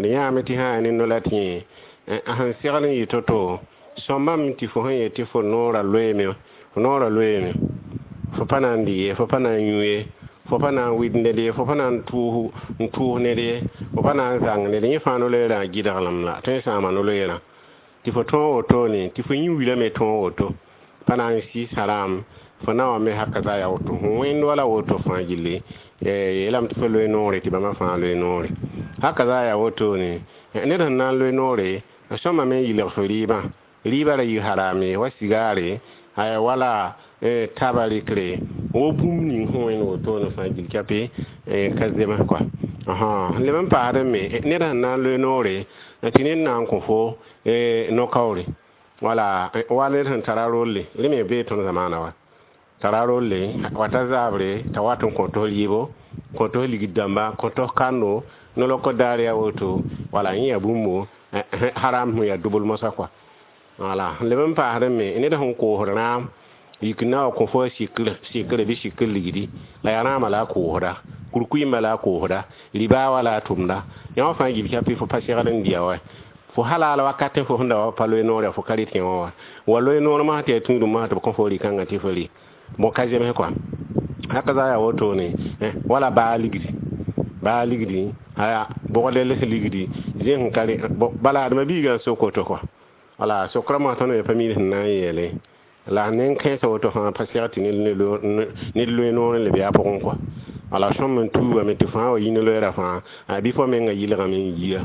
d yãame tɩ sã yaa ne no la tɩ yẽ sẽn segd n yɩ to-to sõmbame tɩ fo sẽn yet tɩ fo noorã loeeme fo noorã loeeme fo pa na n dɩ ye fo pa na n yũ ye fo pa na n wɩd ned ye fo pa na n tʋʋs ned ye fo pa na n zãng ned yẽ fãa no-loeerã gɩdglem la tõe n sãama no-loeerã tɩ fo tõog wotone tɩ fo yũ wilame tõog woto pa na n sɩɩs haram fo na wa me haka za yaa woto fõ wẽnd wala woto fãa gilli yeelame tɩ fo loe noore tɩ bãmba fãa loe noore haka za yaa wotone ned sẽn na n loe noore sõma me n yɩlg fo rɩɩbã rɩɩbã ra yɩ harame wa sigaare aya wala taba rɩkre wo bũmb ning sẽn wẽnd wotone fãa gil kape ka zems kɔa leb n paasd me ned sẽn na n loe noore tɩ ned na n kõ fo no-kaoore wala wa ned sẽn tara rolle rẽ me bee tõnd zamaana wa tara rolle wata zabre t'a wat n kõ tos rɩɩbo kõ tos ligd dãmba kõ tos kando no-lɔkɔ daar yaa woto wala yẽ yaa bũmbo haram sẽn yaa dubl mosã kɔa wala leb n paasd me ned sẽn koosd rãam yik na wa kõ fo sikr bɩ sikr ligdi la yaa rãamã la a koosda kurkuimã la a koosda ribaa la a tʋmda yã wã fãa gil kapi fo pa segd n dɩa wa fo halal wakat fo sẽn da wa pa loe noor fo ka rɩt yẽ wã wa loe noor masã tɩ yaa tũudum masã tɩ b kõ fo rɩ-kãngã tɩ fo rɩ bõ ka zems kɔa haka za yaa wotone wala baa ligdi aya bʋgd les ligdi zẽ sẽn ka bala adma biigã n sok woto kɔa wala sokra masã tõnd me pa miid sẽn na n yeele. La nen kẽesa woto fãa pa seg tɩ ned loe noor n leb yaa pʋgẽ kɔa. Wala sõm n tuugame tɩ fãa wa yi no-loeera fãa, bɩ fo menga yɩlgame n yia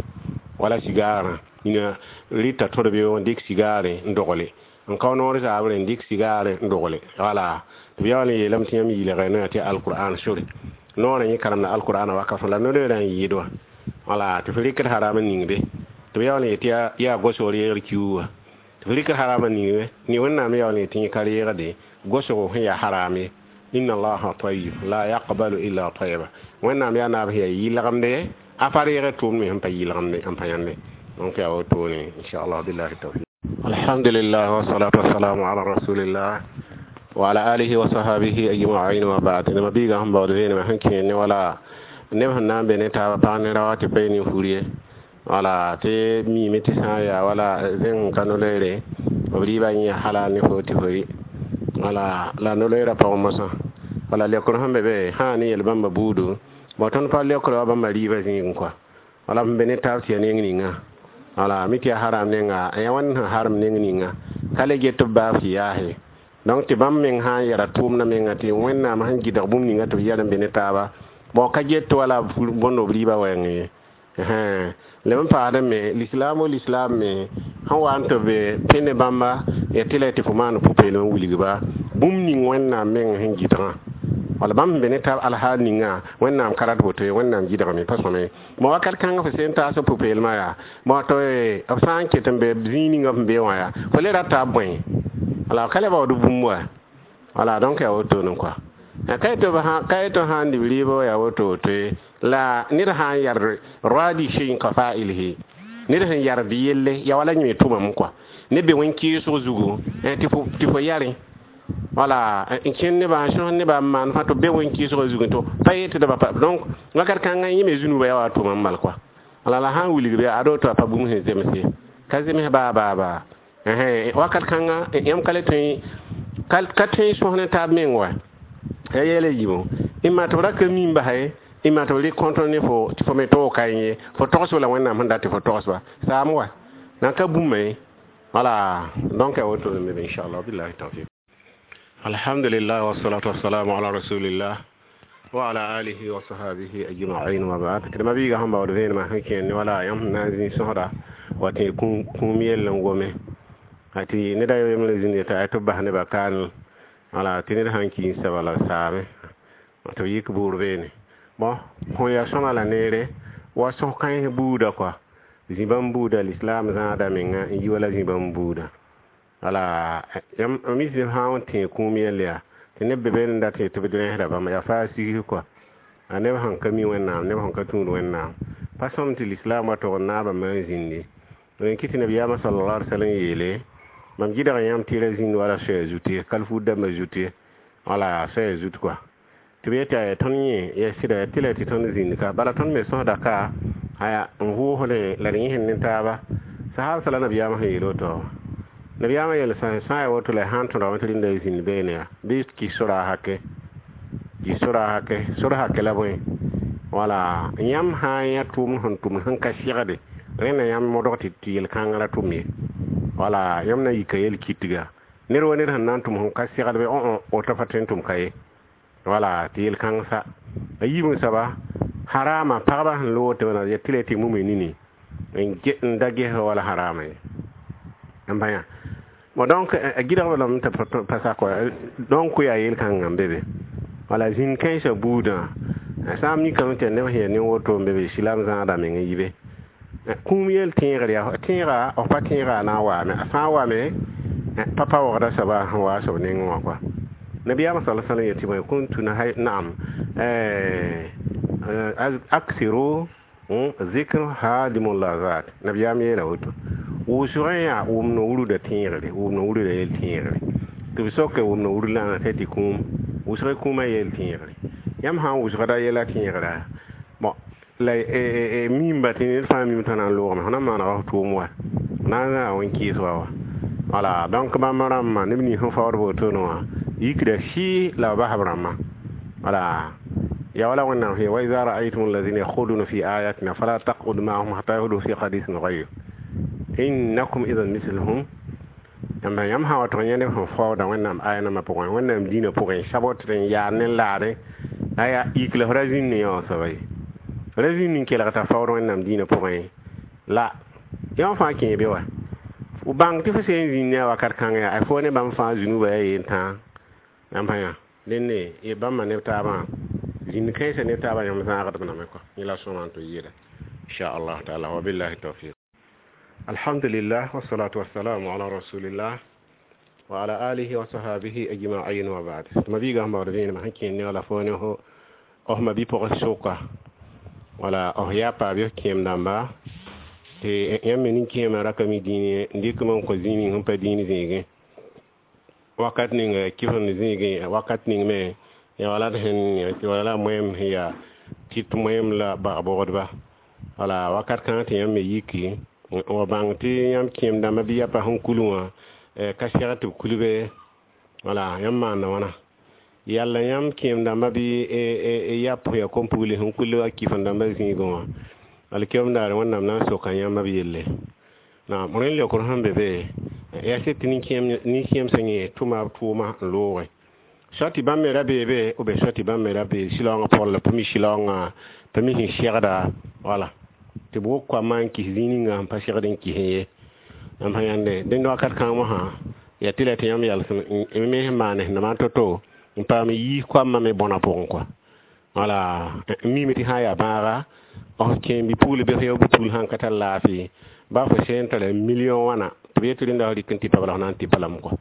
wala sigaarã nina rɩta tõd beoog n dɩk sigaare n dogle, n kao noor zaabrẽ n dɩk sigaare n dogle. Wala tɩ b yaool n yeelame tɩ yãmb yɩlga noyã tɩ alqur'an sore noorã yẽ karemda alqur'ana wakat la no-loeerã n yɩɩd wã. Wala tɩ f rɩkd haram n ning be, tɩ b yaool n yet tɩ yaa gosg reegr kiuug wã, tɩ f rɩkd haram n ning be ne Wẽnnaam yaool n yet tɩ yẽ ka reegde gosgo sẽn yaa haram ye. Inna allaha tayyib la yaqbalu illa tayyiba. Wẽnnaam yaa naab sẽn yaa yɩlgemde, a pa reegd tʋʋmd me sẽn pa yɩlgemde n pa yãnde. Donc yaa wotone inchallah, billahi tawfiq. Alhamdulillah, wassalatu wassalamu ala rasulillah wa ala alihi wa sahbihi ajma'in wa ba'd. Nema biiga sẽn baood vẽenemã sẽn kẽer ne wala neb sẽn na n be ne taaba pag ne ra wa tɩ pa ne fur ye. Wala tɩ miime tɩ sã n yaa wala zẽng ka no-loeere b rɩɩbã yẽ halal ne fo tɩ fo rɩ. Wala la no-loeerã pʋgẽ mosã wala leokr sẽn be be sã ne yel bãmba buudu bon tõnd pa leokr wa bãmba rɩɩbã zĩigẽ kɔa. Wala b be ne taab tɩ yaa neng ninga, wala mi tɩ yaa haram nenga, yaa wãnd sẽn harem neng ninga ka le get tɩ b baab tɩ yaase. Donc tɩ bãmb meng sã n yɛra tʋʋmdã menga tɩ Wẽnnaam sẽn gɩdg bũmb ninga tɩ b yɛl n be ne taaba, bon ka get wala bõnd b rɩɩbã wɛɛng ye. Leb n paasdẽ me lislaam o lislaam me sẽn wa n tɩ b pẽ ne bãmba ya tɩ la tɩ fo maan pʋ-peelem n wilgba bũmb ning Wẽnnaam meng sẽn gɩdgã. Wala bãmb sẽn be ne taab alhaal ninga Wẽnnaam ka rat woto ye, Wẽnnaam gɩdgame pa sõme bon wakat kãngã fo sẽn taas pʋ-peelmã yaa bon tɩ b sã n ket n be zĩig ninga f be wã yaa fo le rata b bõe wala ka le baood bũmb wa. Wala donc yaa wotone kɔa. Ka yetɩ sã n dɩ b rɩɩbã yaa woto woto ye, la ned sã n yard roadi shay ka fa'ilhi, ned sẽn yard yelle ya wala yẽ tʋmame kɔa ne be wẽn-kɩɩsg zugu tɩ fo yarẽ. Wala n kẽnd nebã n sõs nebã n maan fãa tɩ b be wẽn-kɩɩsgã zugẽ tɩ pa yetdba pa. Donc wakat kãngã yẽ me zũnubã yaa wa tʋmam bal kɔa. Wala la sã n wilg bɩ ad woto a pa bũmb sẽn zems ye, ka zems baa baa baa. Wakat kãngã yãmb ka le tõe ka tõe n sõs ne taab meng wa ya yɛla yiibu ɩma tɩ b ra ka mim basa, ɩma tɩ b rɩk kõntr ne fo tɩ fo me toog ka ye fo togsb la Wẽnnaam sẽn dat tɩ fo togsba saam wa nan ka bũmba ye. Wala donc yaa woto me inchallah, billahi tawfiq. Alhamdulillah, wassalatu wassalamu ala rasulillah wa ala alihi wa sahbihi ajma'in wa ba'd. Tɩ ma biiga sẽn baood vẽenemã sẽn kẽer ne wala yãmb sẽn na n zĩ sõsda wa tɩ kũum yell n gome tɩ neda yembre zĩnd yeta tɩ b bas nebã kaanel. Wala tɩ ned sãn ki n saba la saame tɩ b yik buur beene. Bon fõ yaa sõma la neere wa sõs kãens buuda kɔa zĩ-bãmb buuda lislaam zãada menga n yi wala zĩ-bãmb buuda. Wala mis sã n tẽ kũum yell yaa tɩ neb be be n dat tɩ b rẽsda bãmba yaa faa sigs kɔa a neb sẽn ka mi Wẽnnaam, neb sẽn ka tũud Wẽnnaam pa sõm tɩ lislaam wa tog n naabã me n zĩndi n kɩ tɩ nabiyaamã sallallahu alaihi wasallam yeele mam gɩdg yãmb tɩ ra zĩnd wala soɛɛ zut ye, kalfuud dãmbã zut ye, wala soɛɛ zut kɔa tɩ b yeta tõnd yẽ ya sɩda tɩ la tɩ tõnd zĩnd ka bala tõnd me sõsda ka aya n vʋʋsdẽ la d yẽsd ne taaba sahab sala nabiyaamã sẽn yeel woto. Nabiyaamã yel sã n yaa woto la sã n tõdgame tɩ rĩndã zĩnd beene yaa bɩ kɩs sora hake, kɩs sora hake, sor hake la bõe. Wala yãmb sã n yã tʋʋmd sẽn tʋmd sẽn ka segde rẽnda yãmb modg tɩ yel-kãngã ra tʋm ye. Wala yãmb na yika yel-kɩtga ned wa ned sẽn na n tʋm sẽn ka segd bɩ woto pa tõe n tʋm ka ye. Wala tɩ yel-kãng sa a yiib n soaba harama pagba sẽn loog tɩ b na tɩ la tɩ mume nini n da ges wala harama ye n bã yã. Bon donc a gɩdgb lame tɩ pa sak wa donc yaa yel-kãngã n be be. Wala zĩnd kãensã buudã sã n mikame tɩ neb sẽn yaa nin-woto n be be silaam zãada meng n yi be kũum yel tẽegr yaa tẽega f pa tẽega a na n waame a sã n wame pa pa waoogda soaba sẽn waa soab nengẽ wã kɔa. Nabiyaamã sala sallam yetɩ bõe kuntu naam aksiru zikr hadimu lazat nabiyaam yeela woto wʋsgẽ yaa wʋm no-wurda tẽegre, wʋm no-wurda yel tẽegre tɩ b soke wʋm no-wurd la tɩ kũum wʋsg kũumã yel tẽegre yãmb sã n wʋsgda yɛla tẽegra bon la mimba tɩ ned fãa mim t'a na n loogame fõ na n maanega f tʋʋm wa na n zãa wẽn-kɩɩs wa wa. Wala donc bãmb rãmbã neb nins sẽn faood wotone wã yikda sɩ la b bas b rãmbã. Wala ya wala Wẽnnaam sẽn wa iza ra'aytum alladhina yakhuduna fi ayatina fala taq'ud ma'ahum hatta yahudu fi hadithin ghayr innakum idhan mithluhum. Yãmb yãmb sã wa tɩg yẽ neb sẽn faooda Wẽnnaam aya nambã pʋgẽ, Wẽnnaam dĩinã pʋgẽ, sabot n yaad ne laade la yaa yik la f ra zĩnd ne yã soaba ye. Ra zĩnd n kelg t'a faood Wẽnnaam dĩinã pʋgẽ la yã fãa kẽe be wa. F bãng tɩ fo sẽn zĩnd ne a wakat kãngã yaa fo ne bãmb fãa zũnuba yaa yen-tãa. Yãmb sã yã dẽnde bãmba neb taabã zĩnd kãensã neb taabã yãmb zãagdb name kɔ. Yẽ la sõma n tɩ yeela inshallah taala. Wa billahi tawfiq. Alhamdulillah, wassalatu wassalamu ala rasulillah wa ala alihi wa sahabihi ajma'in wa ba'd. Tɩ ma biigã sẽn baood vẽenemã sẽn kẽer ne wala fo ne fo f ma-bi-pʋgs sʋka wala f yapa bɩ f kẽem dãmba tɩ yãmb me nin-kẽemã ra ka mi dĩin n dɩkm n kõ zĩig ning sẽn pa dĩin zĩigẽ wakat ning kɩfemd zĩigẽ wakat ning me ya wala d sẽn wala la moem sẽn yaa tɩt moem la bag-bogdba wala wakat kãngã tɩ yãmb me yiki n wa bãng tɩ yãmb kẽem dãmbã bɩ yapa sẽn kul wã ka seg tɩ b kulbe wala yãmb maanda wãna yalla yãmb kẽem dãmbã bɩ yap sẽn yaa kom-pugli sẽn kul a kɩfem dãmbã zĩigẽ wã alkiyom daare Wẽnnaam na n soka yãmb b yelle. Naam, rẽnd leokr sẽn be be yaa sɩd tɩ nin-kẽem sẽn yẽ tʋma b tʋʋma n looge soa tɩ bãmb me ra beebe ou bien soa tɩ bãmb me ra bee sɩlaoongã pʋgẽ la pa mi sɩlaoongã pa mi sẽn segda wala tɩ b wok koamã n kis zĩig ninga sẽn pa segd n kisẽ ye. Yãmb sã yãnde dẽnd wakat kãng mosã yaa tɩ la tɩ yãmb yalsem me sẽn maan sẽn na to-to n paam yiis koamã me bõna pʋgẽ kɔa. Wala n mime tɩ sã n yaa bãaga f kẽem bi-pugl bɩ f yao bi-pugl sãn ka tar laafɩ ba fo sẽn tara million wãna tɩ b yetɩ rẽnda f rɩk n tɩ pa bala f na n tɩ pa lame kɔa.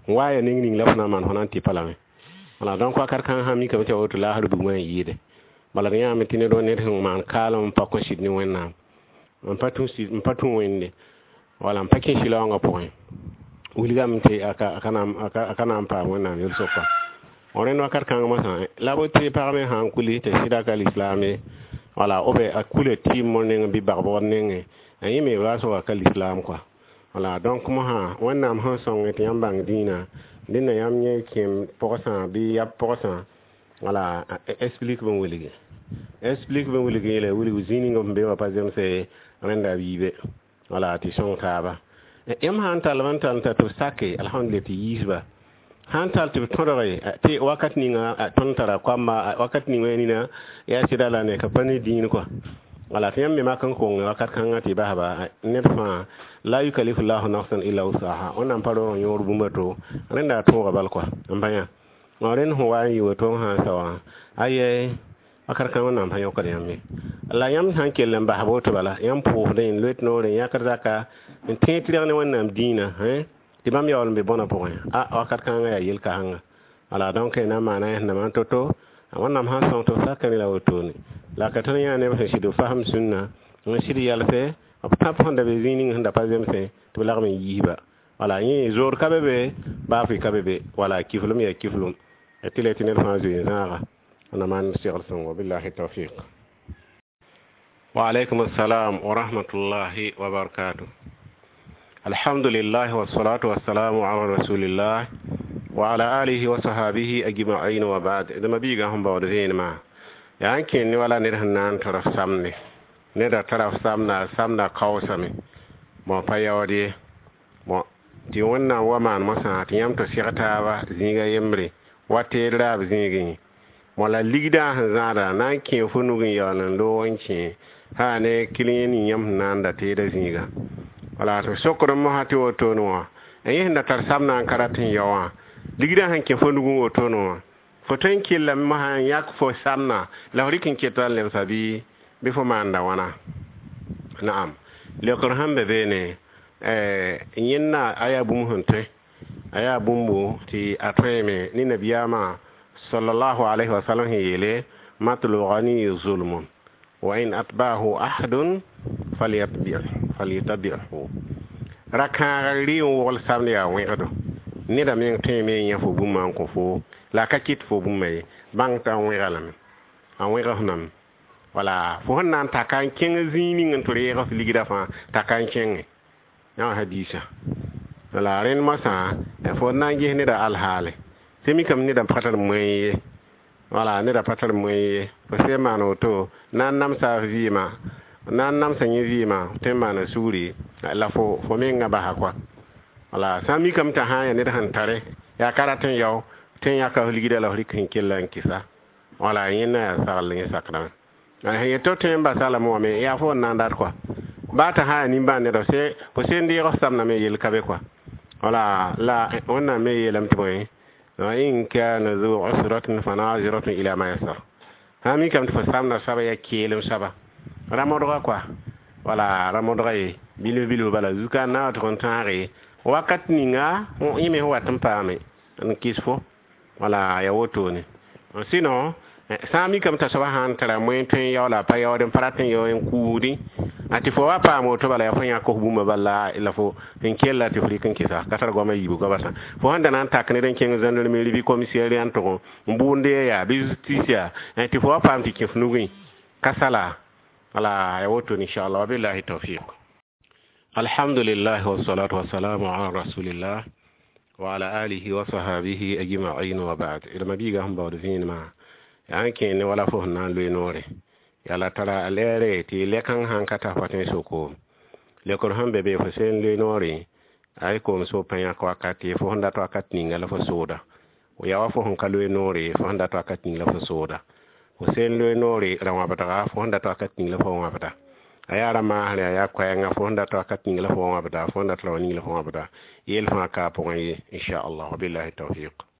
N wa ya ning ning la fo na n maan fo na n tɩ pa lame. Wala donc wakat kãng sã mikame tɩ ya woto laasr bugmã n yɩɩde. Bala d yãame tɩ ned wa ned sẽn maan kaalem n pa kõ sɩd ne Wẽnnaam n pa tũ Wẽnde wala n pa kẽ sɩlaoongã pʋgẽ wilgame tɩ a ka na n paam Wẽnnaam yel-soka. Rẽnd wakat kãng mosã la b tɩ pag me sã n kuli tɩ sɩda ka lislaam ye wala ou bien a kula tɩɩm nengẽ bɩ bag-bogd nengẽ a yẽ me waas wa ka lislaam kɔa. Wala donc mosã Wẽnnaam sẽn sõng tɩ yãmb bãng dĩinã dẽnda yãmb yẽ kẽem pʋgsã bɩ yap pʋgsã wala explique bẽn wilgi explique bẽn wilg yeele wilg zĩig ning f be wã pa zemse rẽnda b yiibe wala tɩ sõng taaba. Yãmb sã n tall n tall n tar tɩ b sake alhamdulillah tɩ yiisba sãn tall tɩ b tõdge tɩ wakat ninga tõnd tara koamba wakat ning wã nina yaa sɩda la ne ka pa ne dĩin kɔa. Wala tɩ yãmb me mak n kong wakat kãngã tɩ basba ned fãa la yukalifu llahu nafsan illa wusaha Wẽnnaam pa roog yõor bũmb to rẽnda a tõoga bal kɔa n pa yã. Rẽnd sẽn wa n yɩ woto sã n sao wã ayɛ wakat kãng Wẽnnaam pa yõkd yãmb ye. La yãmb sã n kell n bas woto bala yãmb pʋʋsdẽ n loet noore n yãkd zaka n tẽeg tɩrg ne Wẽnnaam dĩinã tɩ bãmb yaool n be bõna pʋgẽ a wakat kãngã yaa yel-kãsenga. Wala donc na n maana sẽn na maan to-to Wẽnnaam sãn sõng tɩ b sakame la wotone la ka tõnd yã neb sẽn sɩd b fasem sũnna n sɩd yalsɛ b tãp sẽn da be zĩig ning sẽn da pa zemsẽ tɩ b lagm n yiisba. Wala yẽ zoor ka be be baafɩ ka be be wala kiflem yaa kiflem tɩ la tɩ ned fãa zoe n zãaga na maan segl sõngo billahi tawfiq. Wa alaykum assalam wa rahmatullahi wa barakatuh. Alhamdulillah wassalatu wassalamu ala rasulillah wa ala alihi wa sahabihi ajma'in wa ba'd. D ma biigã sẽn baood vẽenemã yaa n kẽer ne wala ned sẽn na n tara samne neda tara samna samna kaoosame bõ pa yaood ye bõ tɩ Wẽnnaam wa maan mosã tɩ yãmb tɩ seg taaba zĩiga yembre wa teed raab zĩigẽ bõ la ligdã sẽn zãada na n kẽe fo nug n yaool n loog n kẽ sã ne kilẽ ning yãmb sẽn na n da teedã zĩiga. Wala tɩ sokd n mosã tɩ wotone wã yẽ sẽn da tar samnã n ka rat n yao wã ligdã sẽn kẽ fo nugẽ wotone wã fo tõe n kellame mosã n yãk fo samna la f rɩk n keta n lebsa bɩ fo maanda wãna. Naam, leokr sẽn be beene yẽnna a yaa bũmb sẽn tõe a yaa bũmbo tɩ a tõeme ne nabiyaamã sallallahu alayhi wa sallam sẽn yeele matlu ghani zulmun wa in atba'ahu ahadun falyatabi'hu ra-kãagr rɩ n wogl samd yaa wẽgdo neda meng tõeme n yã fo bũmba n kõ fo la a ka kɩt fo bũmba ye bãng t'a wẽga lame a wẽg f name wala fo sẽn na n taka n kẽng zĩig ning n tɩ reeg f ligdã fãa taka n kẽnge yã hadisa. Wala rẽnd mosã fo na n ges neda alhaale tɩ mikame neda pa tar moẽ ye wala neda pa tar moẽ ye fo sẽn maan woto na n namsa f vɩɩmã na n namsa yẽ vɩɩmã tõe n maana sugri la fo mengã basa kɔa. Wala sã n mikame t'a sã n yaa ned sẽn tare yaa ka rat n yao tɩ n yãka f ligda la f rɩk sẽn kella n kɩsa. Wala yẽnda yaa sagl yẽ sakrame sẽn yet tɩ tõe n basa lame wã me yaa fo n na n dat kɔa baa t'a sã n yaa nimbãan neda fo sen deeg f samdame yell ka be kɔa. Wala la Wẽnnaam me yeelame tɩ bõe, wa in kana zu usratin fa naziratun ila maysar. Sã n mikame tɩ fo samda soaba yaa keelem soaba ra modga kɔa, wala ra modga ye bilf bilf bala zuka n na wa tʋg n tãage wakat ninga yẽ me sẽn wat n paame n kɩs fo. Wala ya wotone. Sinon sã n mikame t'a soaba sã n tara moyen tõe n yao la a pa yaood n pa rat n yao n kuudi a tɩ fo wa paam woto bala yaa fo yãk f bũmba bala la fo n kella tɩ f rɩk n kɩsa ka tar goamã yiibu goaba sã fo sẽn da na n tak ned n kẽng gendarmerie bɩ commissariat n tʋg n bʋʋnd yaa bɩ justice yaa tɩ fo wa paam tɩ kẽ f nugẽ ka sala. Wala ya woto, inchallah. Wabillahi tawfiq. Alhamdulillah, wassalatu wassalamu ala rasulillah wa ala alihi wa sahabihi ajma'in, wa ba'd. D mabiiga sẽn baood vẽenemã yaa n kẽene wala fo sẽn na n loe noore yaa la tara a lɛɛre tɩ lɛkãng sãn ka tar pa tõe n so-koom lekr sẽn be be fo sen loe noore ay koom so pa yãk wakat ye fo sẽn dat wakat ninga la fo sooda yaa wa fo sẽn ka loe noore fo sẽn dat wakat ning la fo sooda fo sen loe noore ra wãbdga fo sẽn dat wakat ning la fo wãbda a yaa ra maasre a yaa koɛɛngã fo sẽn dat wakat ning la fo wãbda fo sẽn dat rao ning la fo wãbda yell fãa ka a pʋgẽ ye, inchallah. Wabillahi tawfiq.